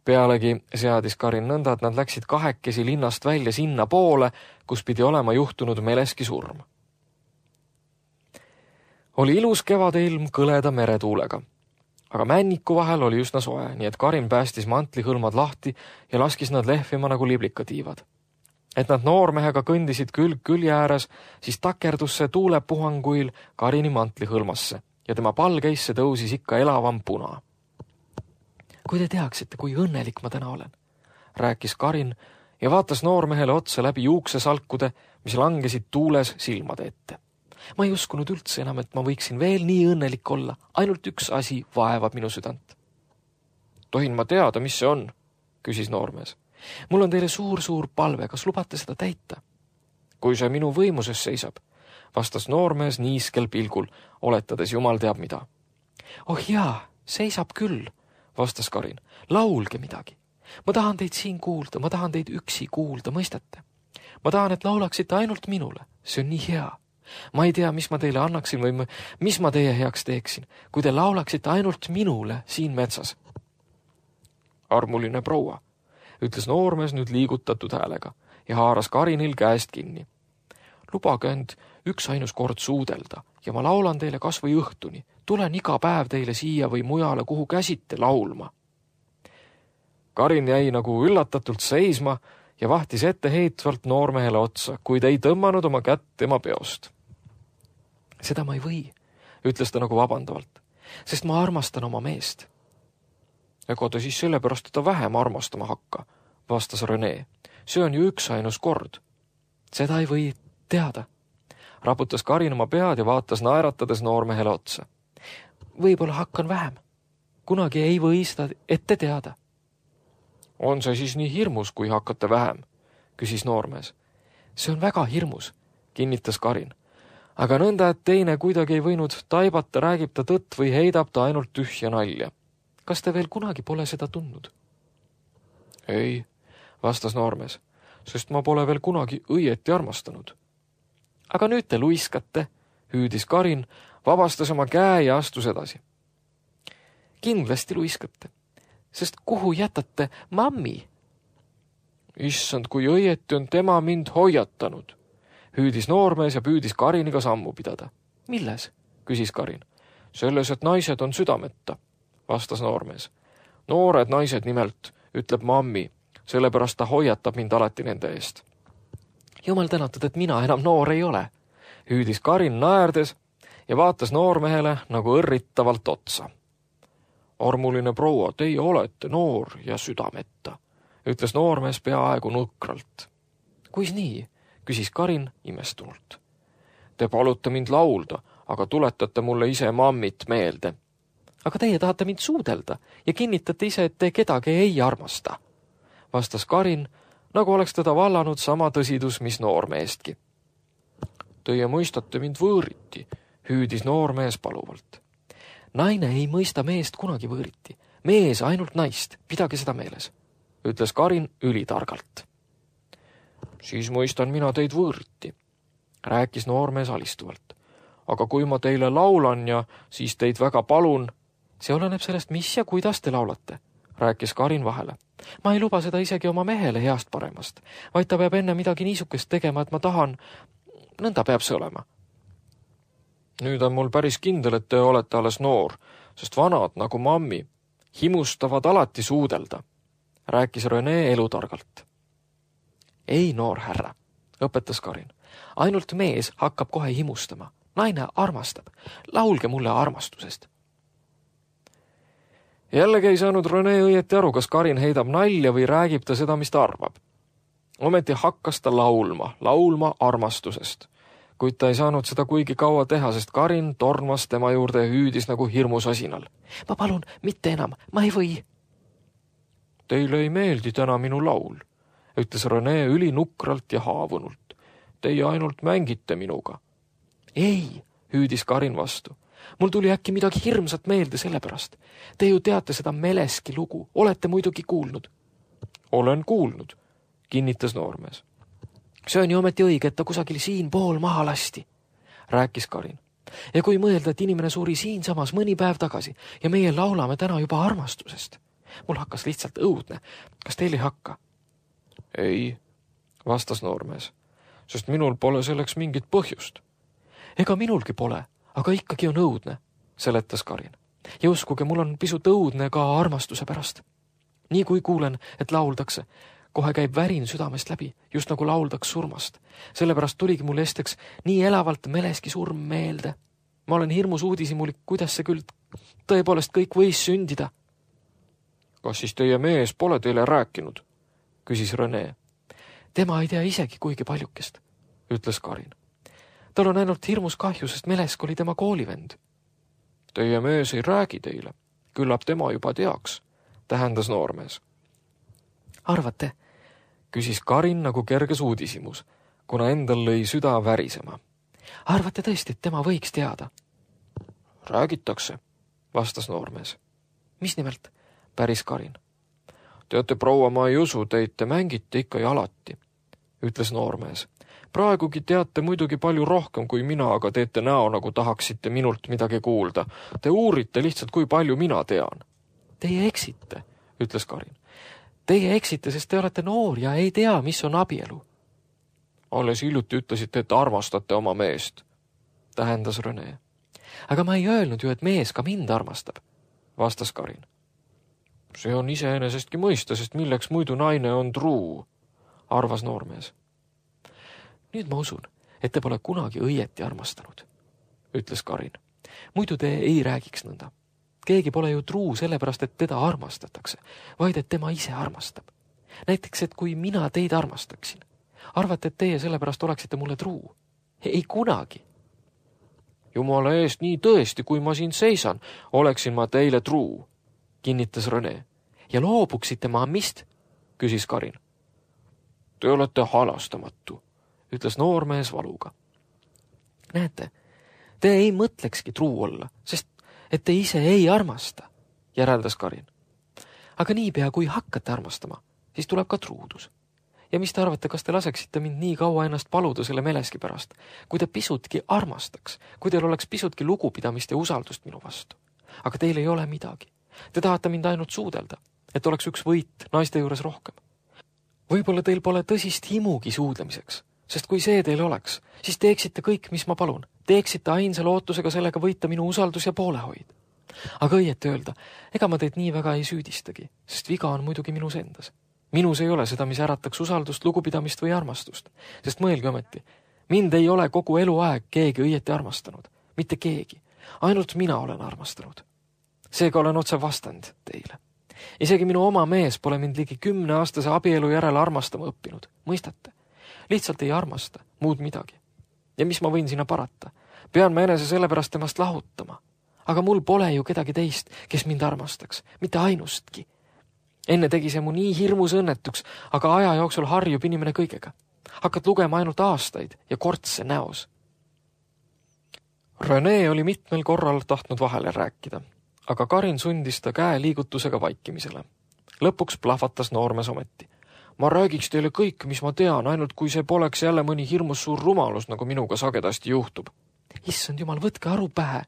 Pealegi seadis Karin nõnda, et nad läksid kahekesi linnast välja sinna poole, kus pidi olema juhtunud Meleski surm. Oli ilus kevadeilm kõleda meretuulega. Aga männiku vahel oli üsna soe, nii et Karin päästis mantlihõlmad lahti ja laskis nad lehvima nagu liblikatiivad. Et nad noormehega kõndisid külg külje ääres, siis takerdus see tuulepuhanguil Karini mantlihõlmasse ja tema palgeisse tõusis ikka elavam puna. Kui te teaksite, kui õnnelik ma täna olen, rääkis Karin ja vaatas noormehele otsa läbi juuksesalkude, mis langesid tuules silmade ette. Ma ei uskunud üldse enam, et ma võiksin veel nii õnnelik olla. Ainult üks asi vaevab minu südant. Tohin ma teada, mis see on? Küsis noormees. Mul on teile suur-suur palve, kas lubate seda täita? Kui see minu võimuses seisab, vastas noormees niiskel pilgul, oletades jumal teab mida. Oh jaa, seisab küll, vastas Karin. Laulge midagi. Ma tahan teid siin kuulda, ma tahan teid üksi kuulda, mõistate? Ma tahan, et laulaksite ainult minule. See on nii hea. Ma ei tea, mis ma teile annaksin või mis ma teie heaks teeksin, kui te laulaksite ainult minule siin metsas. Armuline proua, ütles noormees nüüd liigutatud häälega ja haaras Karinil käest kinni. Lubage end üks ainus kord suudelda ja ma laulan teile kas või õhtuni. Tulen iga päev teile siia või mujale, kuhu käsite laulma. Karin jäi nagu üllatatult seisma ja vahtis etteheitvalt noormehele otsa, kuid ei tõmmanud oma kätt tema peost. Seda ma ei või, ütles ta nagu vabandavalt, sest ma armastan oma meest. Ega ta siis sellepärast teda vähem armastama hakka, vastas Rene. See on ju üks ainus kord. Seda ei või teada. Raputas Karin oma pead ja vaatas naeratades noormehele otsa. Võib-olla hakkan vähem. Kunagi ei või seda ette teada. On see siis nii hirmus, kui hakkate vähem, küsis noormees. See on väga hirmus, kinnitas Karin. Aga nõnda, et teine kuidagi ei võinud taibata, räägib ta tõtt või heidab ta ainult tühja nalja. Kas te veel kunagi pole seda tundnud? Ei, vastas noormees, sest ma pole veel kunagi õieti armastanud. Aga nüüd te luiskate, hüüdis Karin, vabastas oma käe ja astus edasi. Kindlasti luiskate. Sest kuhu jätate mammi? Issand, kui õieti on tema mind hoiatanud, hüüdis noormees ja püüdis Kariniga sammu pidada. Milles? Küsis Karin. Selles, et naised on südameta, vastas noormees. Noored naised nimelt, ütleb mammi, sellepärast ta hoiatab mind alati nende eest. Jumal tänatud, et mina enam noor ei ole, hüüdis Karin naerdes ja vaatas noormehele nagu õrritavalt otsa. Armuline proua, teie olete noor ja südameta, ütles noormees peaaegu nukralt. Kuis nii, küsis Karin imestunult. Te palute mind laulda, aga tuletate mulle ise mammit meelde. Aga teie tahate mind suudelda ja kinnitate ise, et te kedagi ei armasta, vastas Karin, nagu oleks teda vallanud sama tõsidus, mis noormeestki. Teie mõistate mind võõriti, hüüdis noormees paluvalt. Naine ei mõista meest kunagi võõriti, mees ainult naist, pidage seda meeles, ütles Karin ülitargalt. Siis mõistan mina teid võõriti, rääkis noormees alistuvalt. Aga kui ma teile laulan ja siis teid väga palun, see oleneb sellest, mis ja kuidas te laulate, rääkis Karin vahele. Ma ei luba seda isegi oma mehele heast paremast, vaid ta peab enne midagi niisukest tegema, et ma tahan, nõnda peab see olema. Nüüd on mul päris kindel, et te olete alles noor, sest vanad nagu mammi himustavad alati suudelda, rääkis Rene elutargalt. Ei, noor härra, õpetas Karin. Ainult mees hakkab kohe himustama. Naine armastab. Laulge mulle armastusest. Jällegi ei saanud Rene õieti aru, kas Karin heidab nalja või räägib ta seda, mis ta arvab. Ometi hakkas ta laulma, laulma armastusest. Kuid ta ei saanud seda kuigi kaua teha, sest Karin tormas tema juurde ja hüüdis nagu hirmusasinal. Ma palun, mitte enam, ma ei või. Teile ei meeldi täna minu laul, ütles Rene ülinukralt ja haavunult. Teie ainult mängite minuga. Ei, hüüdis Karin vastu. Mul tuli äkki midagi hirmsat meelde sellepärast. Te ju teate seda Meleski lugu, olete muidugi kuulnud. Olen kuulnud, kinnitas noormees. See on ju ometi õige, et ta kusagil siin pool maha lasti, rääkis Karin. Ja kui mõelda, et inimene suri siin samas mõni päev tagasi ja meie laulame täna juba armastusest. Mul hakkas lihtsalt õudne. Kas teil ei hakka? Ei, vastas noormees, sest minul pole selleks mingit põhjust. Ega minulgi pole, aga ikkagi on õudne, seletas Karin. Ja uskuge, mul on pisut õudne ka armastuse pärast. Nii kui kuulen, et lauldakse, kohe käib värin südamest läbi, just nagu lauldaks surmast. Sellepärast tuligi mul esteks nii elavalt Meleski surm meelde. Ma olen hirmus uudisimulik, kuidas see küll tõepoolest kõik võis sündida. Kas siis teie mees pole teile rääkinud? Küsis Rene. Tema ei tea isegi kuigi paljukest, ütles Karin. Tal on ainult hirmus kahju, sest Melesk oli tema koolivend. Teie mees ei räägi teile, küllap tema juba teaks, tähendas noormees. Arvate, küsis Karin nagu kerges uudisimus, kuna endal lõi süda värisema. Arvate tõesti, et tema võiks teada? Räägitakse, vastas noormees. Mis nimelt? Päris Karin. Teate, proua, ma ei usu teid, te mängite ikka ja alati, ütles noormees. Praegugi teate muidugi palju rohkem kui mina, aga teete näo, nagu tahaksite minult midagi kuulda. Te uurite lihtsalt, kui palju mina tean. Teie eksite, ütles Karin. Teie eksite, sest te olete noor ja ei tea, mis on abielu. Alles hiljuti ütlesite, et armastate oma meest, tähendas Rene. Aga ma ei öelnud ju, et mees ka mind armastab, vastas Karin. See on iseenesestki mõista, sest milleks muidu naine on truu, arvas noormees. Nüüd ma usun, et te pole kunagi õieti armastanud, ütles Karin. Muidu te ei räägiks nõnda. Keegi pole ju truu sellepärast, et teda armastatakse, vaid et tema ise armastab. Näiteks, et kui mina teid armastaksin, arvate, et teie sellepärast oleksite mulle truu? Ei kunagi. Jumala eest nii tõesti, kui ma siin seisan, oleksin ma teile truu, kinnitas Rene. Ja loobuksite mammist, küsis Karin. Te olete halastamatu, ütles noormees valuga. Näete, te ei mõtlekski truu olla, sest et te ise ei armasta, järeldas Karin. Aga niipea, kui hakkate armastama, siis tuleb ka truudus. Ja mis te arvate, kas te laseksite mind nii kaua ennast paluda selle Meleski pärast, kui te pisutki armastaks, kui teil oleks pisutki lugupidamist ja usaldust minu vastu. Aga teil ei ole midagi. Te tahate mind ainult suudelda, et oleks üks võit naiste juures rohkem. Võib-olla teil pole tõsist himugi suudlemiseks, sest kui see teil oleks, siis teeksite kõik, mis ma palun. Teeksite ainsa lootusega sellega võita minu usaldus ja poolehoid. aga õieti öelda, ega ma teid nii väga ei süüdistagi, sest viga on muidugi minus endas. Minus ei ole seda, mis ärataks usaldust, lugupidamist või armastust, sest mõelge ometi, mind ei ole kogu eluaeg keegi õieti armastanud, mitte keegi, ainult mina olen armastanud. Seega olen otse vastand teile. Isegi minu oma mees pole mind ligi kümneaastase abielu järel armastama õppinud, mõistate? Lihtsalt ei armasta, muud midagi. Ja mis ma võin sinna parata? Pean ma enese sellepärast temast lahutama. Aga mul pole ju kedagi teist, kes mind armastaks, mitte ainustki. Enne tegi see mu nii hirmus õnnetuks, aga aja jooksul harjub inimene kõigega. Hakkad lugema ainult aastaid ja kortse näos. René oli mitmel korral tahtnud vahele rääkida, aga Karin sundis ta käe liigutusega vaikimisele. Lõpuks plahvatas noormees ometi. Ma räägiks teile kõik, mis ma tean, ainult kui see poleks jälle mõni hirmus suur rumalus, nagu minuga sagedasti juhtub. Issand jumal, võtke aru pähe,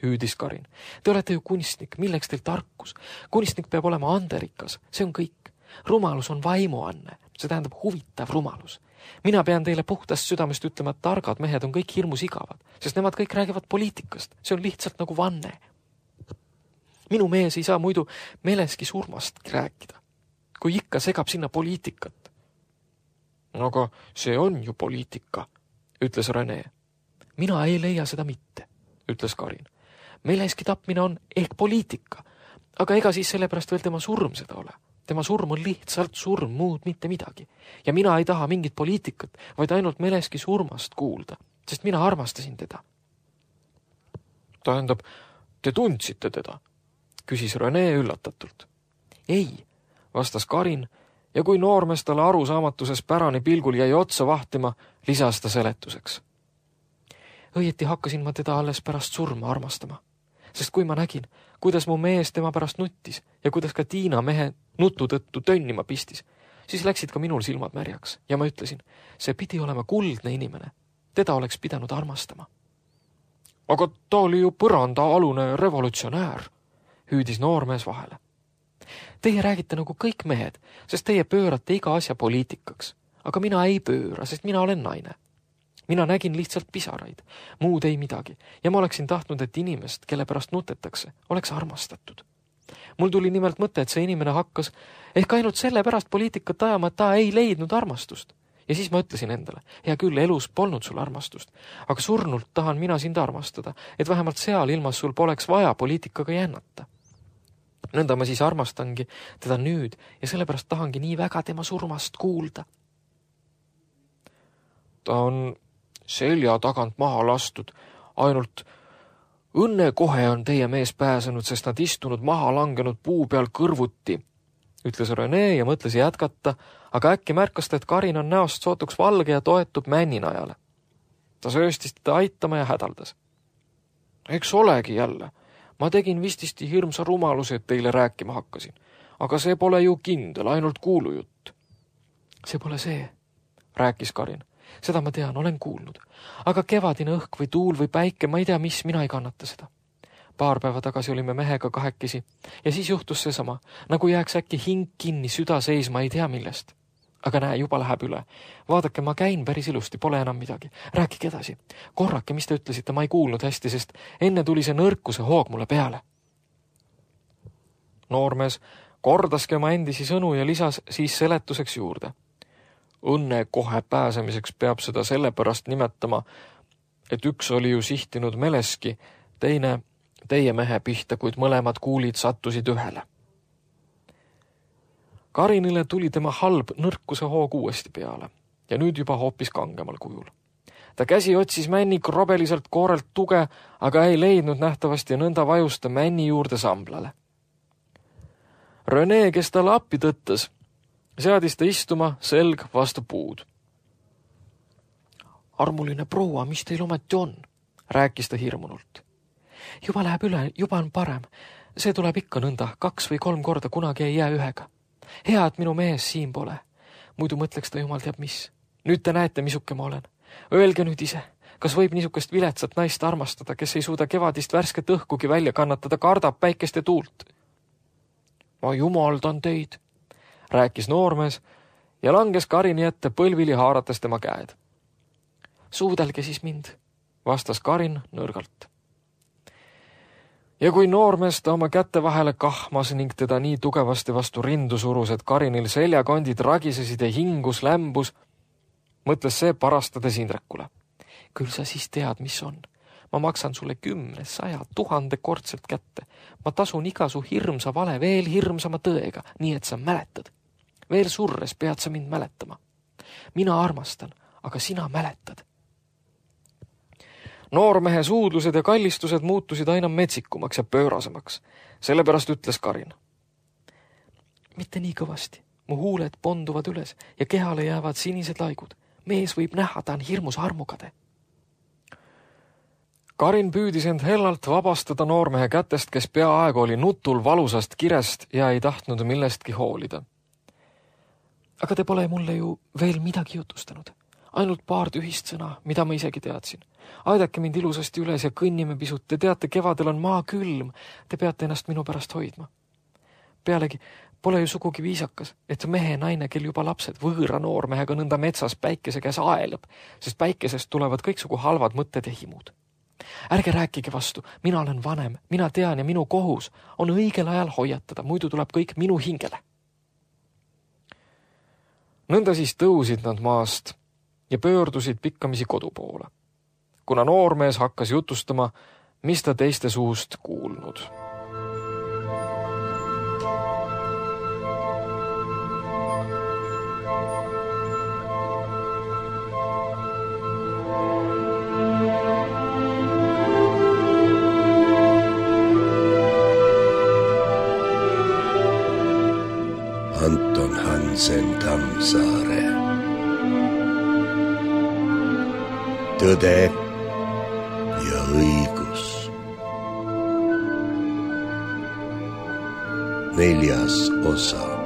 hüüdis Karin. Te olete ju kunstnik, milleks teil tarkus? Kunstnik peab olema anderikas, see on kõik. Rumalus on vaimuanne, see tähendab huvitav rumalus. Mina pean teile puhtast südamest ütlema, et targad mehed on kõik hirmus igavad, sest nemad kõik räägivad poliitikast, see on lihtsalt nagu vanne. Minu mees ei saa muidu meleski surmast rääkida, kui ikka segab sinna poliitikat. Aga see on ju poliitika, ütles René. Mina ei leia seda mitte, ütles Karin. Meleski tapmine on ehk poliitika, aga ega siis sellepärast veel tema surm seda ole. Tema surm on lihtsalt surm, muud mitte midagi. Ja mina ei taha mingit poliitikat, vaid ainult meleski surmast kuulda, sest mina armastasin teda. Tähendab, te tundsite teda? Küsis René üllatatult. Ei, vastas Karin, ja kui noormees talle arusaamatuses pärani pilgul jäi otsa vahtima, lisas ta seletuseks. Õieti hakkasin ma teda alles pärast surma armastama, sest kui ma nägin, kuidas mu mees tema pärast nuttis ja kuidas ka Tiina mehe nutu tõttu tönnima pistis, siis läksid ka minul silmad märjaks ja ma ütlesin, see pidi olema kuldne inimene, teda oleks pidanud armastama. Aga ta oli ju põrandaalune revolutsionäär, hüüdis noormees vahele. Teie räägite nagu kõik mehed, sest teie pöörate iga asja poliitikaks, aga mina ei pööra, sest mina olen naine. Mina nägin lihtsalt pisaraid, muud ei midagi, ja ma oleksin tahtnud, et inimest, kelle pärast nutetakse, oleks armastatud. Mul tuli nimelt mõte, et see inimene hakkas ehk ainult selle pärast poliitikat ajama, et ta ei leidnud armastust. Ja siis ma ütlesin endale, hea küll, elus polnud sul armastust, aga surnult tahan mina sind armastada, et vähemalt seal ilmas sul poleks vaja poliitikaga jännata. Nõnda ma siis armastangi teda nüüd ja sellepärast tahangi nii väga tema surmast kuulda. Ta on selja tagant maha lastud, ainult õnne kohe on teie mees pääsenud, sest nad istunud maha langenud puu peal kõrvuti, ütles René ja mõtles jätkata, aga äkki märkas ta, et Karin on näost sootuks valge ja toetub männinajale. Ta sööstis teda aitama ja hädaldas. Eks olegi jälle. Ma tegin vististi hirmsa rumaluse, et teile rääkima hakkasin, aga see pole ju kindel, ainult kuulujutt. See pole see, rääkis Karin. Seda ma tean, olen kuulnud. Aga kevadine õhk või tuul või päike, ma ei tea, mis, mina ei kannata seda. Paar päeva tagasi olime mehega kahekesi ja siis juhtus seesama, nagu jääks äkki hing kinni, süda seisma, ei tea millest. Aga näe, juba läheb üle. Vaadake, ma käin päris ilusti, pole enam midagi. Rääkige edasi. Korrake, mis te ütlesite, ma ei kuulnud hästi, sest enne tuli see nõrkuse hoog mulle peale. Noormees kordaski oma endisi sõnu ja lisas siis seletuseks juurde. Õnne kohe pääsemiseks peab seda sellepärast nimetama, et üks oli ju sihtinud meleski, teine teie mehe pihta, kuid mõlemad kuulid sattusid ühele. Karinile tuli tema halb nõrkuse hoog uuesti peale ja nüüd juba hoopis kangemal kujul. Ta käsi otsis männi krobeliselt koorelt tuge, aga ei leidnud nähtavasti nõnda vajusta männi juurde samblale. René, kes talle appi tõttas, seadis ta istuma selg vastu puud. Armuline proua, mis teil ometi on? Rääkis ta hirmunult. Juba läheb üle, juba on parem. See tuleb ikka nõnda, kaks või kolm korda, kunagi ei jää ühega. Hea, et minu mees siin pole. Muidu mõtleks ta jumal teab mis. Nüüd te näete, misuke ma olen. Öelge nüüd ise, kas võib niisugust viletsat naist armastada, kes ei suuda kevadist värsket õhkugi välja kannatada, kardab päikest ja tuult? Ma jumaldan teid, rääkis noormees ja langes Karini ette põlvili haarates tema käed. Suudelge siis mind, vastas Karin nõrgalt. Ja kui noormees ta oma kätte vahele kahmas ning teda nii tugevasti vastu rindu surus, et Karinil seljakondid ragisesid ja hingus lämbus, mõtles see parastades Indrekule. Küll sa siis tead, mis on. Ma maksan sulle kümne, saja, tuhande kordselt kätte. Ma tasun iga su hirmsa vale veel hirmsama tõega, nii et sa mäletad. Veel surres pead sa mind mäletama. Mina armastan, aga sina mäletad. Noormehe suudlused ja kallistused muutusid aina metsikumaks ja pöörasemaks. Sellepärast ütles Karin. Mitte nii kõvasti. Mu huuled ponduvad üles ja kehale jäävad sinised laigud. Mees võib näha, ta on hirmus armukade. Karin püüdis end hellalt vabastada noormehe kätest, kes peaaegu oli nutul valusast kirest ja ei tahtnud millestki hoolida. Aga te pole mulle ju veel midagi jutustanud. Ainult paar tühist sõna, mida ma isegi teadsin. Aidake mind ilusasti üles ja kõnnime pisut. Te teate, kevadel on maa külm. Te peate ennast minu pärast hoidma. Pealegi pole ju sugugi viisakas, et mehe naine, kel juba lapsed võõra noormehega nõnda metsas päikese käes aelab, sest päikesest tulevad kõiksugu halvad mõtted ja himud. Ärge rääkige vastu, mina olen vanem, mina tean ja minu kohus on õigel ajal hoiatada, muidu tuleb kõik minu hingele. Nõnda siis tõusid nad maast ja pöördusid pikkamisi kodu poole, kuna noormees hakkas jutustama, mis ta teiste suust kuulnud. Anton Hansen Tammsaare. Tõde ja õigus. Neljas osa.